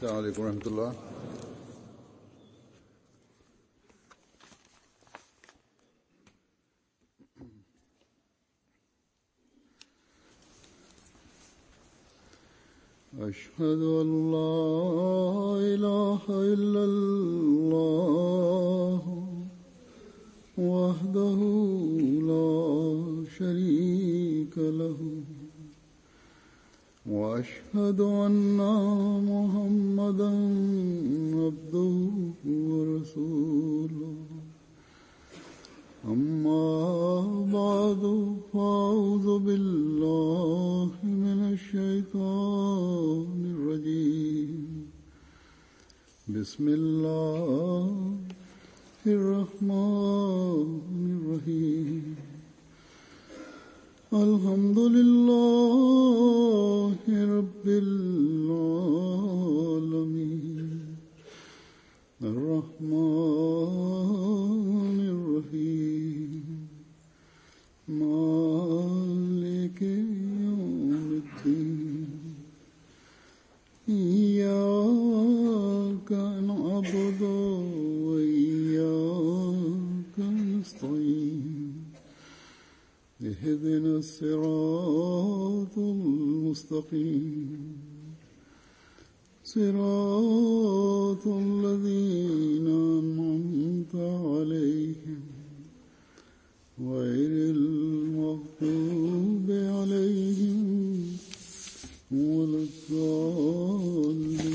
السلام عليڪم ورحمة الله. أشهد أن لا إله إلا الله وحده لا شريك له وأشهد أن محمدا عبده ورسوله أما بعد فأعوذ بالله من الشيطان الرجيم بسم الله الرحمن الرحيم الحمد لله رب العالمين الرحمن الرحيم مالك يوم الدين إياك نعبد وإياك نستعين اهدنا الصراط المستقيم صراط الذين أنعمت عليهم غير المغضوب عليهم ولا الضالين.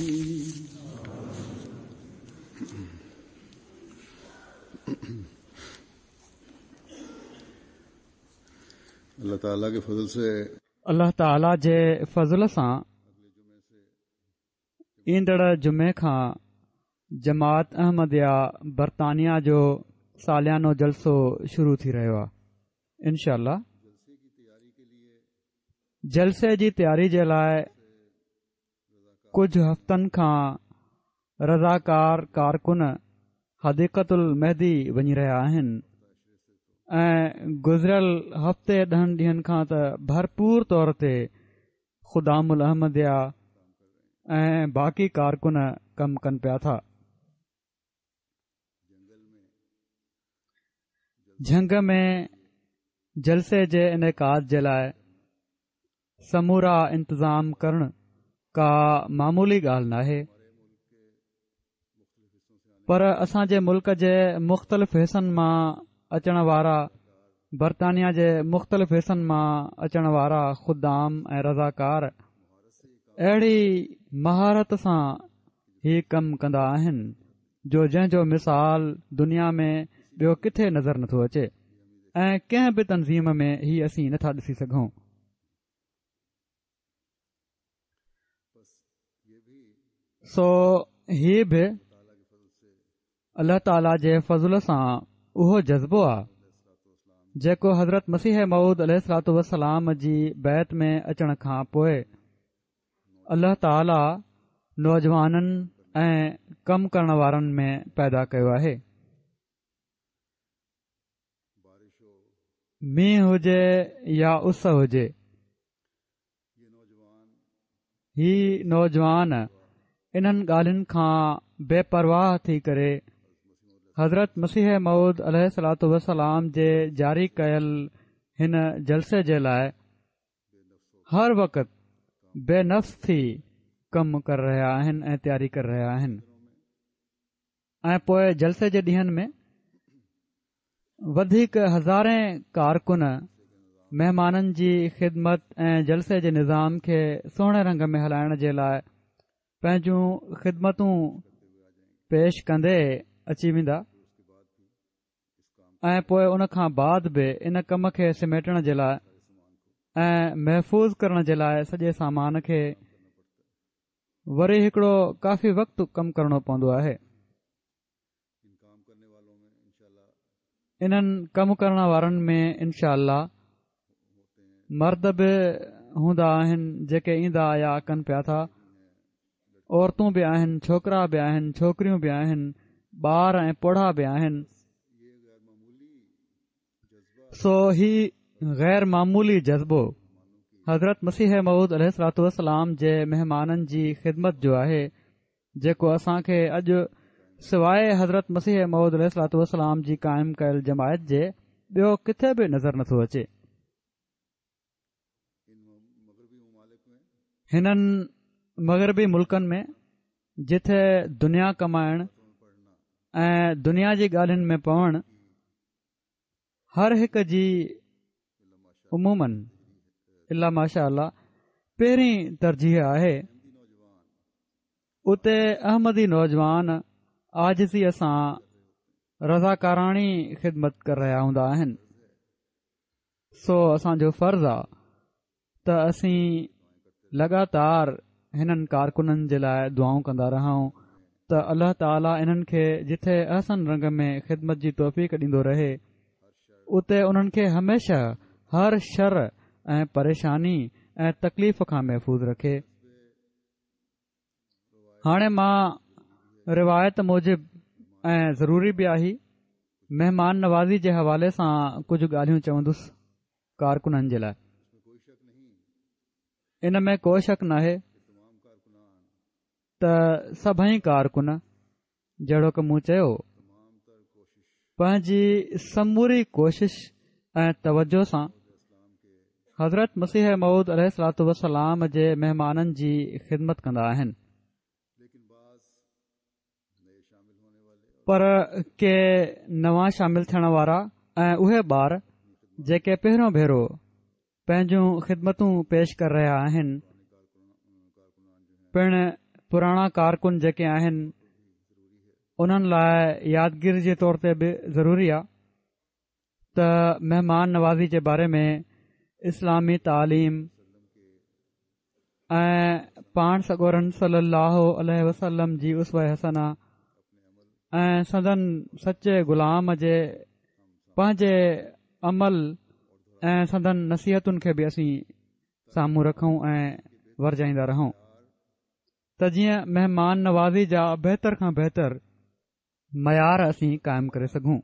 الله تعاليٰ کے فضل سے الله تعاليٰ جي فضل سان ايندڙ جمعي کان جماعت احمديه برطانيا جو ساليانو جلسو شروع ٿي رهيو آهي انشاء الله جلسي جي تياري جي لاء ڪجهه هفتن کان رضاڪار ڪارڪن حديقة المهدي وڃي رهيا آهن ۽ گذريل هفتي ڏهن ڏينهن کان ته ڀرپور طور تي خدام الاحمديه ۽ باقي ڪارڪن ڪم ڪن پيا ٿا. جهنگ ۾ جلسي جي انعقاد جي لاء سمورا انتظام ڪرڻ ڪا معمولي ڳالهه ناهي پر اسان جي ملڪ جي مختلف حصن مان اچڻ وارا برطانيا جي مختلف حصن مان اچڻ وارا خدام ۽ رضاڪار اهڙي مهارت سان هي ڪم ڪندا آهن جو جنهن جو مثال دنيا ۾ ٻيو ڪٿي نظر نٿو اچي ۽ ڪنهن به تنظيم ۾ هي اسين نٿا ڏسي سگهون. سو هي به الله تعاليٰ جي فضل سان اهو جذبو آ جيڪو حضرت مسيح موعود عليه الصلوٰة والسلام جي بيعت ۾ اچڻ کان پوء الله تعاليٰ نوجوانن ۽ ڪم ڪرڻ وارن ۾ پيدا ڪيو آهي. مينهن هجي يا اس هجي هي نوجوان انهن ڳالهين کان بي پرواهه ٿي ڪري حضرت مسيح موعود عليه الصلوٰة والسلام جي جاري ڪيل هن جلسي جي لاء هر وقت بي نفس ٿي ڪم ڪري رهيا آهن ۽ تياري ڪري رهيا آهن ۽ پوء جلسي جي ڏينهن ۾ وڌيڪ هزارين ڪارڪن مهمانن جي خدمت ۽ جلسي جي نظام کي سهڻي رنگ ۾ هلائڻ جي لاء پنهنجون خدمتون پيش ڪندي اچي ويندا ۽ پوء ان کان بعد به ان ڪم کي سميٽڻ جي لاء ۽ محفوظ ڪرڻ جي لاء سڄي سامان کي وري هڪڙو ڪافي وقت ڪم ڪرڻو پوندو آهي. انهن ڪم ڪرڻ وارن ۾ انشاء الله مرد به هوندا آهن جيڪي ايندا يا ڪن پيا ٿا عورتون به آهن ڇوڪرا به آهن ڇوڪريون به آهن ٻار ۽ پوڙها به آهن سو هي غير معمولي جذبو حضرت مسيح موعود عليه الصلوٰة والسلام جي مهمانن جي خدمت جو آهي. جيڪو اسان کي اڄ سواء حضرت مسيح موعود عليه الصلوة والسلام جي قائم ڪيل جماعت جي ٻيو ڪٿي به نظر نٿو اچي. هنن مغربي ملڪن ۾ جٿي دنيا ڪمائڻ ۽ دنيا جي ڳالهين ۾ پوڻ هر هڪ جي عموماً الا ماشاء الله پهرين ترجيح آهي اتي احمدي نوجوان عاجزيء سان رضاڪاراڻي خدمت ڪري رهيا هوندا آهن سو اسان جو فرض آ ته اسين لڳاتار هنن ڪارڪنن جي لاء دعائون ڪندا رهون ته الله تعالي انهن کي جٿي احسن رنگ ۾ خدمت جي توفيق ڏيندو رهي اتي انهن کي هميشه هر شر ۽ پريشاني ۽ تڪليف کان محفوظ رکي. هاڻي مان روايت موجب ۽ ضروري به آهي مهمان نوازي جي حوالي سان ڪجهه ڳالهيون چوندس ڪارڪنن جي لاء ان ۾ ڪو شڪ ناهي ته سڀئي ڪارڪن جهڙوڪ مون چيو، پنهنجي سموري ڪوشش ۽ توجه سان حضرت مسيح موعود عليه الصلوة والسلام جي مهمانن جي خدمت ڪندا آهن. پر ڪي نوان شامل ٿيڻ وارا ۽ اهي ٻار جيڪي پهريون ڀيرو پنهنجون خدمتون پيش ڪري رهيا آهن پڻ پراڻا ڪارڪن جيڪي آهن انهن لاء يادگيري جي طور تي به ضروري آهي ته مهمان نوازي جي باري ۾ اسلامي تعليم ۽ پاڻ سڳورن صلي الله عليه وسلم جي اسوه حسنه ۽ سندن سچي غلام جي پنهنجي عمل ۽ سندن نصيحتن کي به اسين سامهون رکون ۽ ورجائيندا رهون ته جيئن مهمان نوازي جا بهتر کان بهتر معيار اسين قائم ڪري سگهون.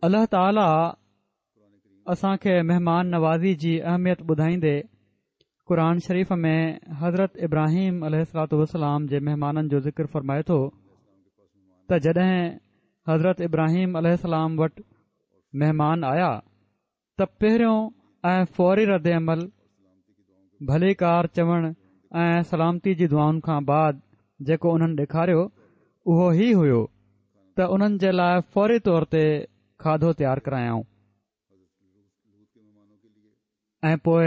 الله تعاليٰ اسان کي مهمان نوازي جي اهميت ٻڌائيندي قرآن شريف ۾ حضرت ابراهيم عليه الصلوة والسلام جي مهمانن جو ذڪر فرمائي ٿو ته جڏهن حضرت ابراهيم عليه السلام وٽ مهمان آيا ته پهريون ۽ فوري رد عمل ڀليڪار چوڻ ۽ سلامتي جي دعائن کان بعد جيڪو انهن ڏيکاريو اهو هي هيو ته انهن جي لاء فوري طور تي کاڌو تيار ڪرايائون ۽ پوء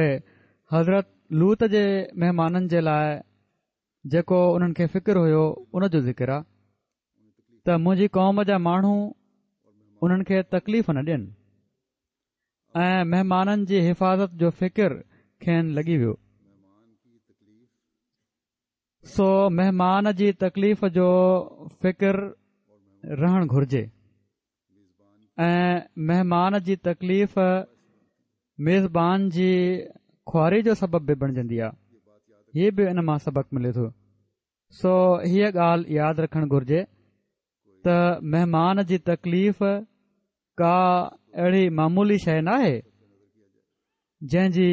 حضرت لوط جي مهمانن جي لاء جيڪو انهن کي فڪر هيو ان جو ذڪر آ ته منهنجي قوم جا ماڻهو انهن کي تڪليف نه ڏين ۽ مهمانن جي حفاظت جو فڪر کين لڳي ويو سو مهمان جي تڪليف جو فڪر رهڻ گهرجي ۽ مهمان جي تڪليف ميزبان جي خواري جو سبب به بڻجندي آهي هي به ان مان سبق ملي ٿو سو هيء ڳالهه ياد رکڻ گهرجي ته مهمان جي تڪليف ڪا اهڙي معمولي شيء ناهي جنهن جي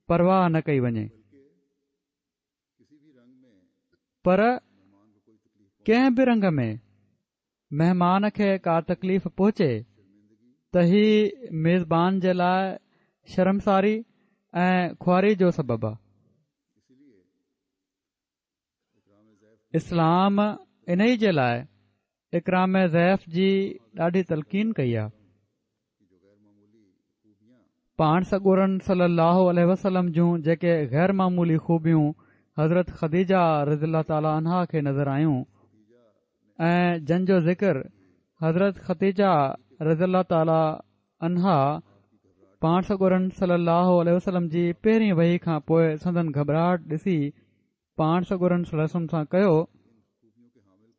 پرواهه نه ڪئي وڃي پر ڪنهن به رنگ ۾ مهمان کي ڪا تڪليف پهچي ته هي ميزبان جي لاء شرمساري ۽ خواري جو سبب آهي. اسلام انهي جي لاء اڪرام ضيف جي ڏاڍي تلقين ڪئي آهي. پاڻ سڳورن صلي الله عليه وسلم جون جيڪي غير معمولي خوبيون حضرت خديجه رضي الله تعالٰي عنها کي نظر آيون ۽ جن جو ذڪر حضرت خديجه رضي الله تعالٰي عنها پاڻ سڳورن صلي الله عليه وسلم جي پهرين وحي کان پوء سندن گهٻراهٽ ڏسي پاڻ سڳورن صلي الله عليه وسلم سان ڪيو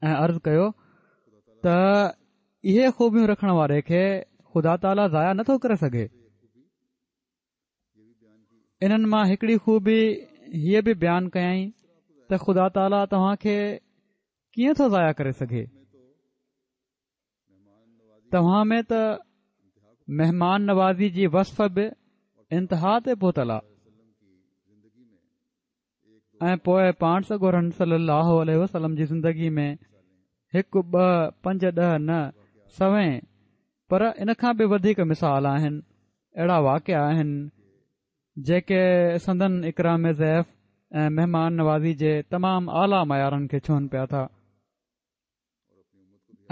۽ عرض ڪيو ته اهي خوبيون رکڻ واري کي خدا تعاليٰ ضايع نٿو ڪري سگهي انهن مان هڪڙي خوبي هيء به بيان ڪيائين ته خدا تعاليٰ توهان کي ڪيئن ٿو ضايع ڪري سگهي توهان ۾ ته مهمان نوازي جي وصف به انتها تي پهتل آهي. ۽ پوء پاڻ سڳورن صلي الله عليه وسلم جي زندگي ۾ هڪ ٻه پنج ڏهه نه سوين پر ان کان به وڌيڪ مثال آهن اهڙا واقعا آهن جيڪي سندن اڪرام ضيف ۽ مهمان نوازي جي تمام اعليٰ معيارن کي ڇهن پيا ٿا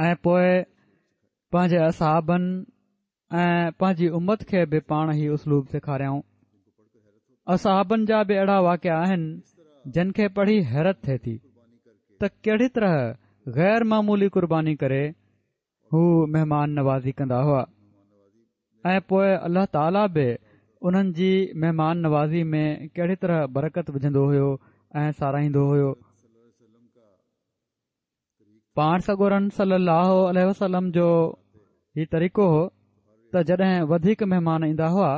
۽ پوء پنهنجي اصحابن ۽ پنهنجي امت کي به پاڻ هي اسلوب سيکاريائون. اصحابن جا به اهڙا واقعا آهن جن کي پڙهي حيرت ٿئي ٿي ته ڪهڙي طرح غير معمولي قرباني ڪري هو مهمان نوازي ڪندا هئا ۽ پوء الله تعاليٰ به انهن جي مهمان نوازي ۾ ڪهڙي طرح برڪت وجهندو هيو ۽ ساراهيندو هيو. پاڻ سڳورن صلي الله عليه وسلم جو هي طريقو هو ته جڏهن وڌيڪ مهمان ايندا هئا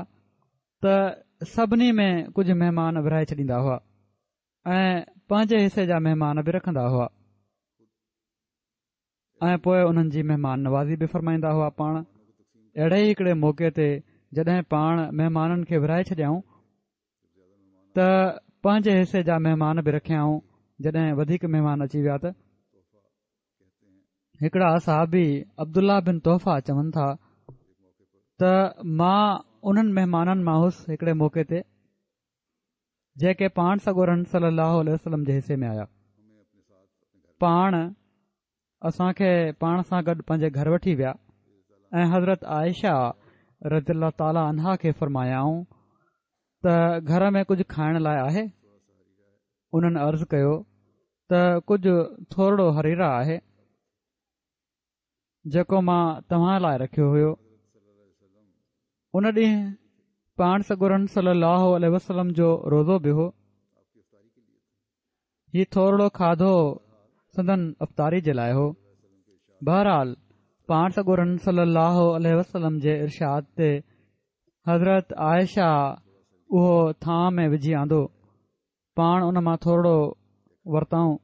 ته سڀني ۾ ڪجهه مهمان ورهائي ڇڏيندا هئا ۽ پنهنجي حصي جا مهمان به رکندا هئا ۽ پوء انهن جي مهمان نوازي به فرمائيندا هئا. پاڻ اهڙي ئي هڪڙي موقعي تي جڏهن پاڻ مهمانن کي ورهائي ڇڏيائون ته پنهنجي حصي جا مهمان به رکيائون. جڏهن وڌيڪ مهمان اچي ويا ته هڪڙا صحابي عبدالله بن تحفه چون ٿا ته مان انهن مهمانن مان هوس هڪڙي موقعي تي جيڪي پاڻ سڳورن صلي الله عليه وسلم جي حصي ۾ آيا. پاڻ اسان کي پاڻ سان گڏ پنهنجي گهر وٺي ويا ۽ حضرت عائشه رضي الله تعاليٰ عنها کي فرمايائون ته گهر ۾ ڪجهه کائڻ لاء آهي؟ انهن عرض ڪيو ته ڪجهه ٿورڙو حريره آهي جيڪو مان توهان لاء رکيو هيو. ان ڏينهن پاڻ سڳورن صلي الله عليه وسلم جو روزو به هو. هي ٿورڙو کاڌو سندن افطاري جي لاء هو. بهرحال پاڻ سڳورن صلي الله عليه وسلم جي ارشاد تي حضرت عائشه اهو ٿانء ۾ وجهي آندو. پاڻ ان مان ٿورڙو ورتائون،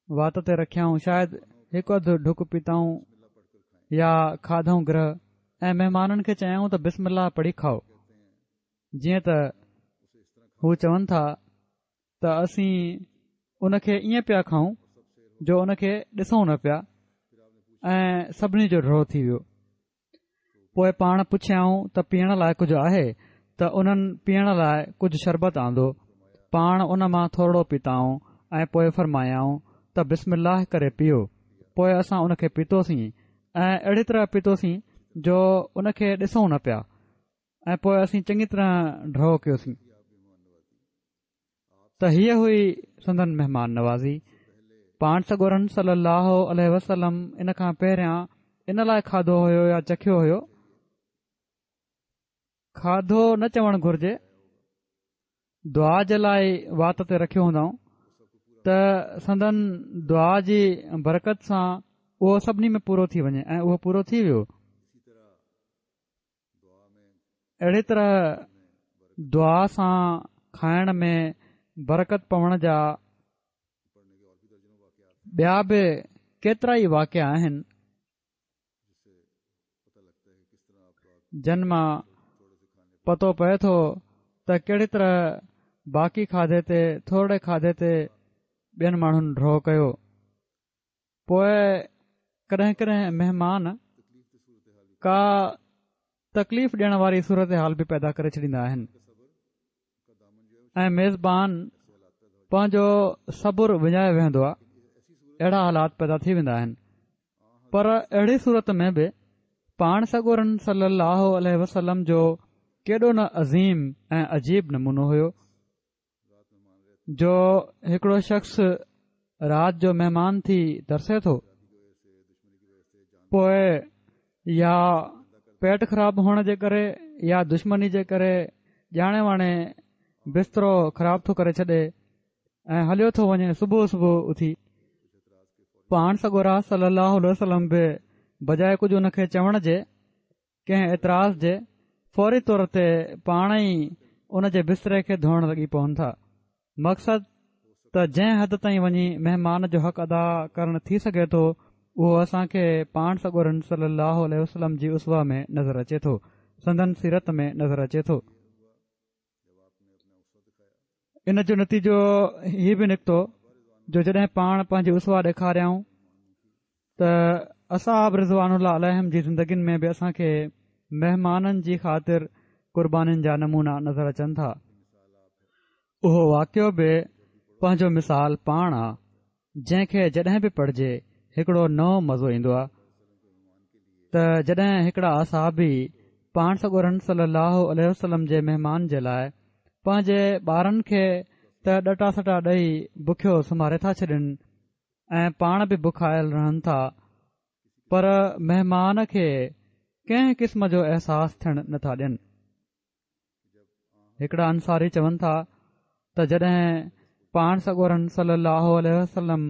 وات تي رکيائون، شايد هڪ اڌ ڍڪ پيتائون يا کاڌائون گرهه ۽ مهمانن کي چيائون ته بسم الله پڙهي کائو. جيئن ته هو چون ٿا ته اسين ان کي ائين پيا کائون جو ان کي ڏسون نه پيا ۽ سڀني جو ڍؤ ٿي ويو. پوء پاڻ پڇيائون ته پيئڻ لاء ڪجهه آهي ته انهن پيئڻ لاء ڪجهه شربت آندو. پاڻ ان مان ٿورڙو پيتائون ۽ پوء فرمايائون ته بسم الله ڪري پيئو. پوء اسان ان کي پيتوسين ۽ اهڙي طرح پيتوسين جو ان کي ڏسون نه پيا ۽ پوء اسين چڱي طرح ڍؤ ڪيوسين. ته هيء هئي سندن مهمان نوازي. پاڻ سڳورن صلي الله عليه وسلم ان کان پهريان ان لاء کاڌو هيو يا چکيو هيو؟ کاڌو نه چوڻ گهرجي، دعا جي لاء وات تي رکيو هوندائون ته سندن دعا جي برڪت سان اهو سڀني ۾ پورو ٿي وڃي ۽ اهو پورو ٿي ويو. اهڙي طرح دعا سان کائڻ ۾ برڪت پوڻ جا ٻيا به ڪيترائي واقعا آهن جن مان پتو پئي ٿو ته ڪهڙي طرح باقي کاڌي تي ٿورڙي کاڌي تي ٻين ماڻهن ڍؤ ڪيو. پوء ڪڏهن ڪڏهن مهمان ڪا تڪليف ڏيڻ واري صورتحال به پيدا ڪري ڇڏيندا آهن ۽ ميزبان پنهنجو صبر وڃائي ويهندو آهي. اهڙا حالات پيدا ٿي ويندا آهن پر اهڙي صورت ۾ به پاڻ سڳورن صلي الله عليه وسلم جو ڪيڏو نه عظيم ۽ عجيب نمونو هيو جو هڪڙو شخص رات جو مهمان ٿي ترسي ٿو پوء يا پيٽ خراب هئڻ جي ڪري يا دشمني جي ڪري ڄاڻي واڻي بسترو خراب ٿو ڪري ڇڏي ۽ هليو ٿو وڃي صبح صبح اٿي پاڻ سڳورا صلي الله عليه وسلم به بجاء ڪجهه ان کي چوڻ جي ڪنهن اعتراض جي فوري طور تي پاڻ ئي ان جي بستري کي ڌوئڻ لڳي پون ٿا. مقصد ته جنهن حد تائين وڃي مهمان جو حق ادا ڪرڻ ٿي سگهي ٿو اهو اسان کي پاڻ سڳورن صلي الله عليه وسلم جي اسوه ۾ نظر اچي ٿو، سندن سيرت ۾ نظر اچي ٿو. ان جو نتيجو هي به نڪتو جو جڏهن پاڻ پنهنجي اسوه ڏيکاريائون ته اصحاب رضوان الله عليهم جي زندگين ۾ به اسان کي مهمانن جي خاطر قربانين جا نمونا نظر اچن ٿا. اهو واقعو به پنهنجو مثال پاڻ آ جنهن کي جڏهن به پڙهجي هڪڙو نئون مزو ايندو آ ته جڏهن هڪڙا اصحابي پاڻ سڳورن صلي الله عليه وسلم جي مهمان جي لاء پنهنجي ٻارن کي ته ڏٽا سٽا ڏئي بکيو سمهاري ٿا ڇڏين ۽ پاڻ به بکايل رهن ٿا پر مهمان کي ڪنهن قسم جو احساس ٿيڻ نٿا ڏين. هڪڙا انصاري چون ٿا ته جڏهن پاڻ سڳورن صلي الله عليه وسلم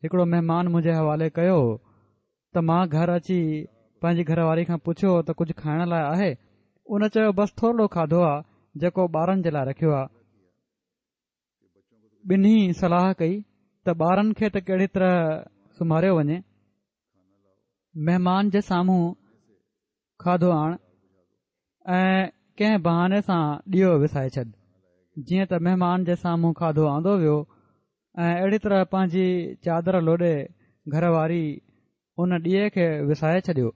هڪڙو مهمان منهنجي حوالي ڪيو ته مان گهر اچي پنهنجي گهر واري کان پڇيو ته ڪجهه کائڻ لاء آهي؟ ان چيو بس ٿورڙو کاڌو آ جيڪو ٻارن جي لاء رکيو آ. ٻنهي صلاح ڪئي ته ٻارن کي ته ڪهڙي طرح سمهاريو وڃي مهمان جي سامهون کاڌو آڻ ۽ ڪنهن بهاني سان ڏيئو وسائي ڇڏ جيئن ته مهمان جي سامهون کاڌو آندو ويو ۽ اهڙي طرح پنهنجي چادر لوڏي گهر واري ان ڏيئي کي وسائي ڇڏيو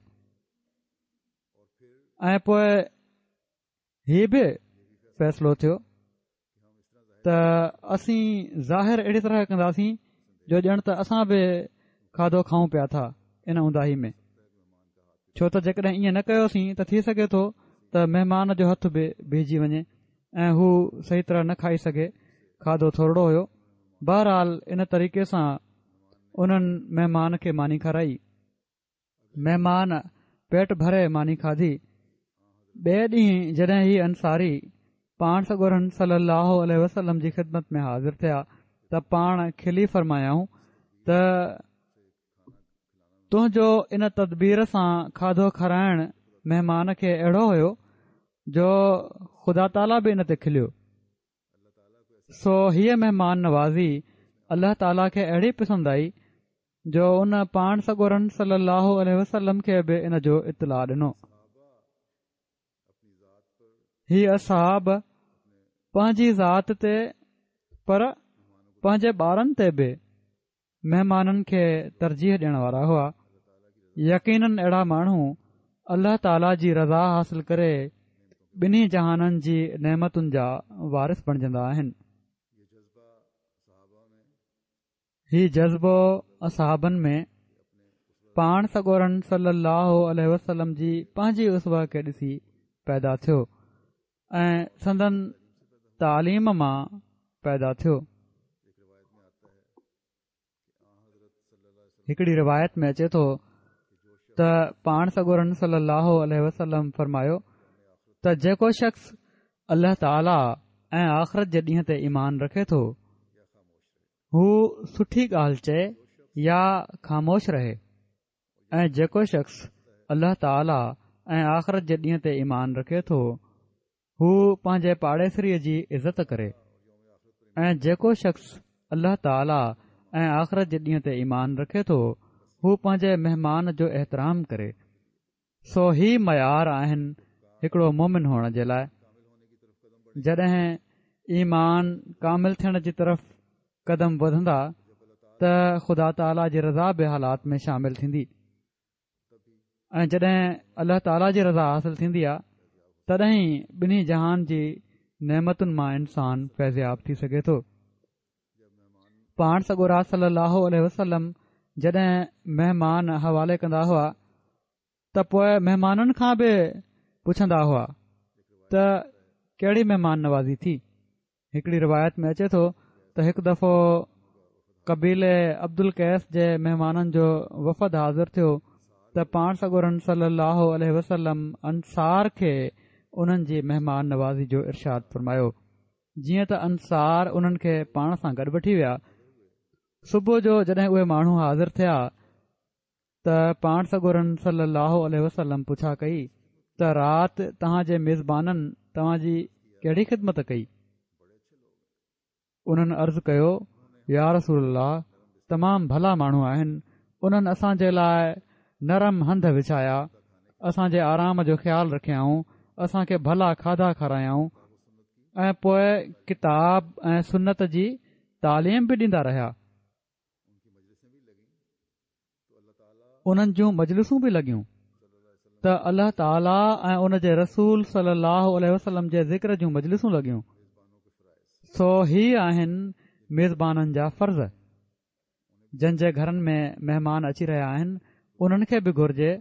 ۽ پوء هي به فيصلو ٿيو ته اسين ظاهر اهڙي طرح ڪنداسين جو ڄڻ ته اسان به کاڌو کائون پيا ٿا ان اونداهي ۾ ڇو ته جيڪڏهن ائين نه ڪيوسين ته ٿي سگهي ٿو ته مهمان جو هٿ به بيهجي وڃي ۽ هو صحيح طرح نه کائي سگهي کاڌو ٿورڙو هيو بهرحال ان طريقي سان انهن مهمان کي ماني کارائي مهمان پيٽ ڀري ماني کاڌي. ٻئي ڏينهن جڏهن هي انصاري پاڻ سڳورن صلي الله عليه وسلم جي خدمت ۾ حاضر ٿيا ته پاڻ کلي فرمايائون ته تنهنجو ان تدبير سان کاڌو کارائڻ مهمان کي اهڙو هيو جو خدا تعاليٰ به ان تي کليو. سو هيء مهمان نوازي الله تعاليٰ کي اهڙي پسند آئي جو ان پاڻ سڳورن صلي الله عليه وسلم کي به ان جو اطلاع ڏنو. هي اصحاب پنهنجي ذات تي پر پنهنجي ٻارن تي به مهمانن کي ترجيح ڏيڻ وارا هئا. يقينن اهڙا ماڻهو الله تعاليٰ جي رضا حاصل ڪري ٻنهي جهانن جي نعمتن جا وارث بڻجندا آهن. هي جذبو اصحابن ۾ پاڻ سڳورن صلي الله عليه وسلم جي پنهنجي اسوه کي ڏسي پيدا ٿيو ۽ سندن تعليم مان پيدا ٿيو. هڪڙي روايت ۾ اچي ٿو ته پاڻ سڳورن صلي الله عليه وسلم فرمايو ته جيڪو شخص الله تعاليٰ ۽ آخرت جي ڏينهن تي ايمان رکي ٿو هو سٺي ڳالهه چئي يا خاموش رهي ۽ جيڪو شخص الله تعاليٰ ۽ آخرت جي ڏينهن تي ايمان رکي ٿو هو پنهنجي پاڙيسريء جي عزت ڪري ۽ جيڪو شخص الله تعاليٰ ۽ آخرت جي ڏينهن تي ايمان رکي ٿو هو پنهنجي مهمان جو احترام ڪري سو هي معيار آهن هڪڙو مومن هئڻ جي لاء. جڏهن ايمان ڪامل ٿيڻ جي طرف قدم وڌندا ته خدا تعاليٰ جي رضا به حالات ۾ شامل ٿيندي ۽ جڏهن الله تعاليٰ جي رضا حاصل ٿيندي آهي تڏهن ئي ٻنهي جهان جي نعمتن مان انسان فيضياب ٿي سگهي ٿو. پاڻ سڳورا صلي الله عليه وسلم جڏهن مهمان حوالي ڪندا هئا ته پوء مهمانن کان به پڇندا هئا ته ڪهڙي مهمان نوازي ٿي هڪڙي روايت ۾ اچي ٿو ته هڪ دفعو قبيلي عبدالقيس جي مهمانن جو وفد حاضر ٿيو ته پاڻ سڳورن صلي الله عليه وسلم انصار کي انهن جي مهمان نوازي جو ارشاد فرمايو جيئن ته انصار انهن کي پاڻ سان گڏ وٺي ويا. صبح جو جڏهن اهي ماڻهو حاضر ٿيا ته پاڻ سڳورن صلي الله عليه وسلم پڇا ڪئي ته رات توهان جي ميزبانن توهان جي ڪهڙي خدمت ڪئي؟ انهن عرض ڪيو يا رسول الله تمام ڀلا ماڻهو آهن انهن اسان جي لاء نرم هنڌ وڇايا اسان جي آرام جو خيال رکيائون اسان کي ڀلا کاڌا کارايائون. ۽ پوء ڪتاب ۽ سنت جي تعليم به ڏيندا رهيا. انهن جون مجلسون به لڳيون ته الله تعاليٰ ۽ ان جي رسول صلي الله عليه وسلم جي ذڪر جون مجلسون لڳيون. سو هي آهن ميزبانن جا فرض. جن جي گهرن ۾ مهمان اچي رهيا آهن انهن کي به گهرجي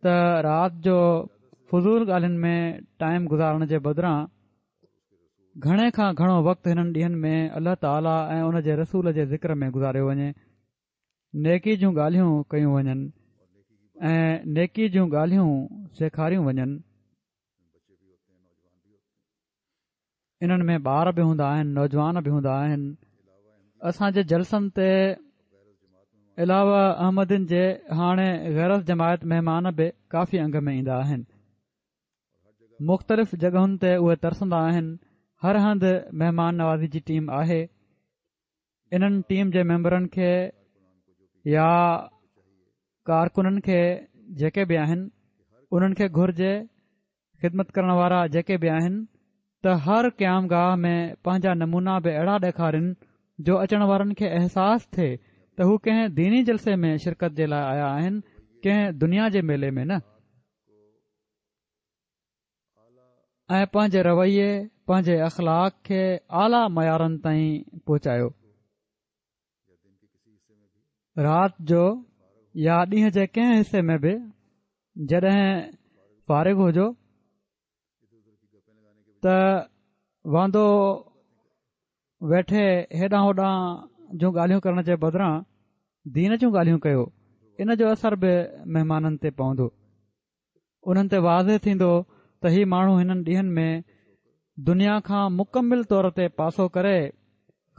ته رات جو فضول ڳالهين ۾ ٽائيم گذارڻ جي بدران گهڻي کان گهڻو وقت هنن ڏينهن ۾ الله تعاليٰ ۽ ان جي رسول جي ذڪر ۾ گذاريو وڃي، نيڪي جون ڳالهيون ڪيون وڃن ۽ نيڪي جون ڳالهيون سيکاريون وڃن. انهن ۾ ٻار به هوندا آهن نوجوان به هوندا آهن اسان جي جلسن تي علاوه احمدين جي هاڻي غير از جماعت مهمان به ڪافي انگ ۾ ايندا آهن مختلف جڳهن تي اهي ترسندا آهن هر هنڌ مهمان نوازي جي ٽيم آهي انهن ٽيم جي ميمبرن کي يا ڪارڪنن کي جيڪي به آهن انهن کي گهرجي خدمت ڪرڻ وارا جيڪي به آهن ته هر قيام گاهه ۾ پنهنجا نمونا به اهڙا ڏيکارين جو اچڻ وارن کي احساس ٿئي ته هو ڪنهن ديني جلسي ۾ شرڪت جي لاء آيا آهن ڪنهن دنيا جي ميلي ۾ نه. ۽ پنهنجي رويي پنهنجي اخلاق کي اعليٰ معيارن تائين پهچايو. رات جو يا ڏينهن جي ڪنهن حصي ۾ به جڏهن فارغ هجو ته واندو ويٺي هيڏانهن هوڏانهن جون ڳالهيون ڪرڻ جي بدران دين جون ڳالهيون ڪيو ان جو اثر به مهمانن تي پوندو انهن تي واضح ٿيندو ته هي ماڻهو هنن ڏينهن ۾ دنيا کان مڪمل طور تي پاسو ڪري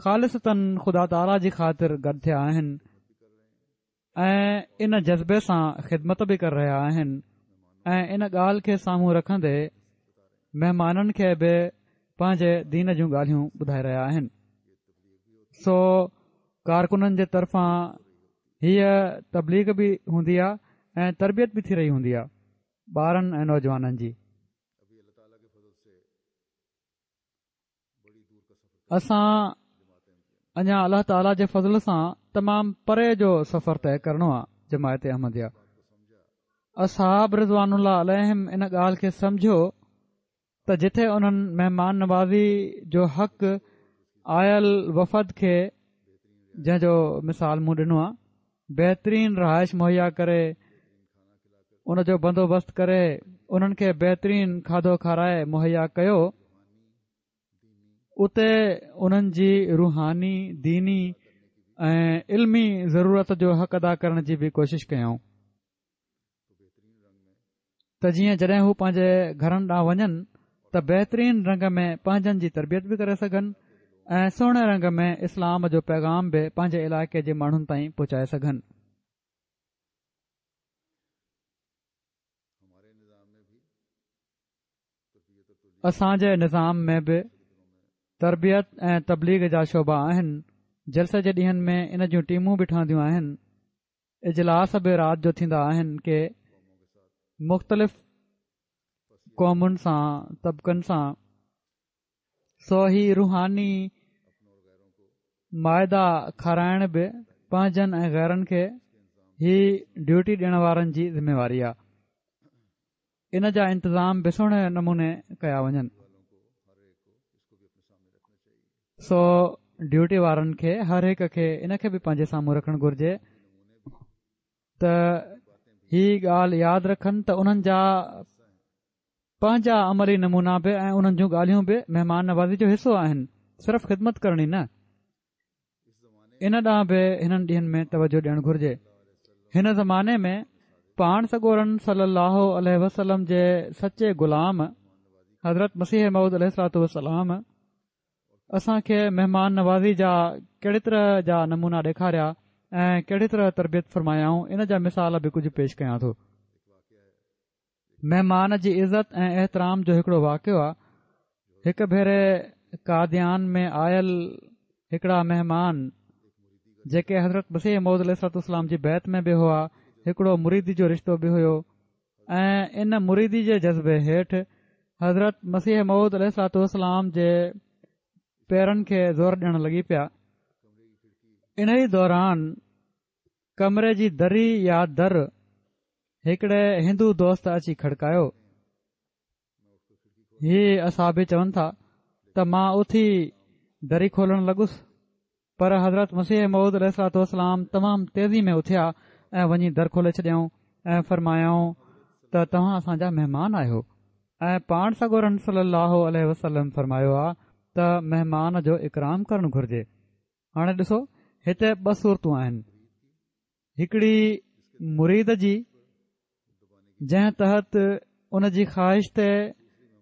خالصتاً خدا تعاليٰ جي خاطر گڏ ٿيا آهن ۽ ان جذبي سان خدمت به ڪري رهيا آهن ۽ ان ڳالهه کي سامهون رکندي مهمانن کي به پنهنجي دين جون ڳالهيون ٻڌائي رهيا آهن سو ڪارڪنن جي طرفان هيء تبليغ به هوندي آ ۽ تربيت به ٿي رهي هوندي آ ٻارن ۽ نوجوانن جي. اسان اڃا الله تعاليٰ جي فضل سان تمام پري جو سفر طئي ڪرڻو آ جماعت احمديه اصحاب رضوان الله عليهم ان ڳالهه کي سمجهيو ته جتي انهن مهمان نوازي جو حق آيل وفد کي جنهن جو مثال مون ڏنو آهي بهترين رهائش مهيا ڪري ان جو بندوبست ڪري انهن کي بهترين کاڌو کارائي مهيا ڪيو اتي انهن جي روحاني ديني ۽ علمي ضرورت جو حق ادا ڪرڻ جي به ڪوشش ڪيائون ته جيئن جڏهن هو پنهنجي گهرن ڏانهن وڃن ته بهترين رنگ ۾ پنهنجن جي تربيت به ڪري سگهن ۽ سهڻي رنگ ۾ اسلام جو پيغام به پنهنجي علائقي جي ماڻهن تائين پهچائي سگهن. اسان جي نظام ۾ به تربيت ۽ تبليغ جا شعبا آهن، جلسي جي ڏينهن ۾ ان جون ٽيمون به ٺهنديون آهن. اجلاس به رات جو ٿيندا آهن ڪي مختلف قومن سان طبقن سان سو هي روحاني مائده کارائڻ به پنهنجن ۽ غيرن کي هي ڊيوٽي ڏيڻ وارن جي ذميواري آهي ان جا انتظام به سهڻي نموني ڪيا وڃن سو ڊيوٽي وارن کي هر هڪ کي ان کي به پنهنجي سامهون رکڻ گهرجي ته هي ڳالهه ياد رکن ته انهن جا پنهنجا عملي نمونا به ۽ انهن جون ڳالهيون به مهمان نوازي جو حصو آهن صرف خدمت ڪرڻي نه ان ڏانهن به هنن ڏينهن ۾ توجه ڏيڻ گهرجي هن زماني ۾ پاڻ سڳورن صلي الله عليه وسلم جي سچي غلام حضرت مسيح موعود عليه الصلوة والسلام اسان کي مهمان نوازي جا ڪهڙي طرح جا نمونا ڏيکاريا ۽ ڪهڙي طرح تربيت فرمايائون ان جا مثال به ڪجهه پيش ڪيان ٿو. مهمان جي عزت ۽ احترام جو هڪڙو واقعو آ هڪ ڀيري قاديان ۾ آيل هڪڙا مهمان جيڪي حضرت مسيح موعود عليه الصلوة والسلام جي بيعت ۾ به هئا هڪڙو مريدي جو رشتو به هيو ۽ ان مريدي جي جذبي هيٺ حضرت مسيح موعود عليه الصلوة والسلام جي پيرن کي زور ڏيڻ لڳي پيا. انهي دوران ڪمري جي دري يا در هڪڙي هندو دوست اچي کڙڪايو. هي اصحابي چون ٿا ته مان اٿي دري کولڻ لڳس پر حضرت مسيح موعود عليه الصلوة والسلام تمام تيزي ۾ اٿيا ۽ وڃي در کولي ڇڏيائون ۽ فرمايائون ته توهان اسان جا مهمان آهيو ۽ پاڻ سڳورن صلي الله عليه وسلم فرمايو آ ته مهمان جو اڪرام ڪرڻ گهرجي. هاڻي ڏسو هتي ٻه صورتون آهن هڪڙي مريد جي جنهن تحت ان جي خواهش تي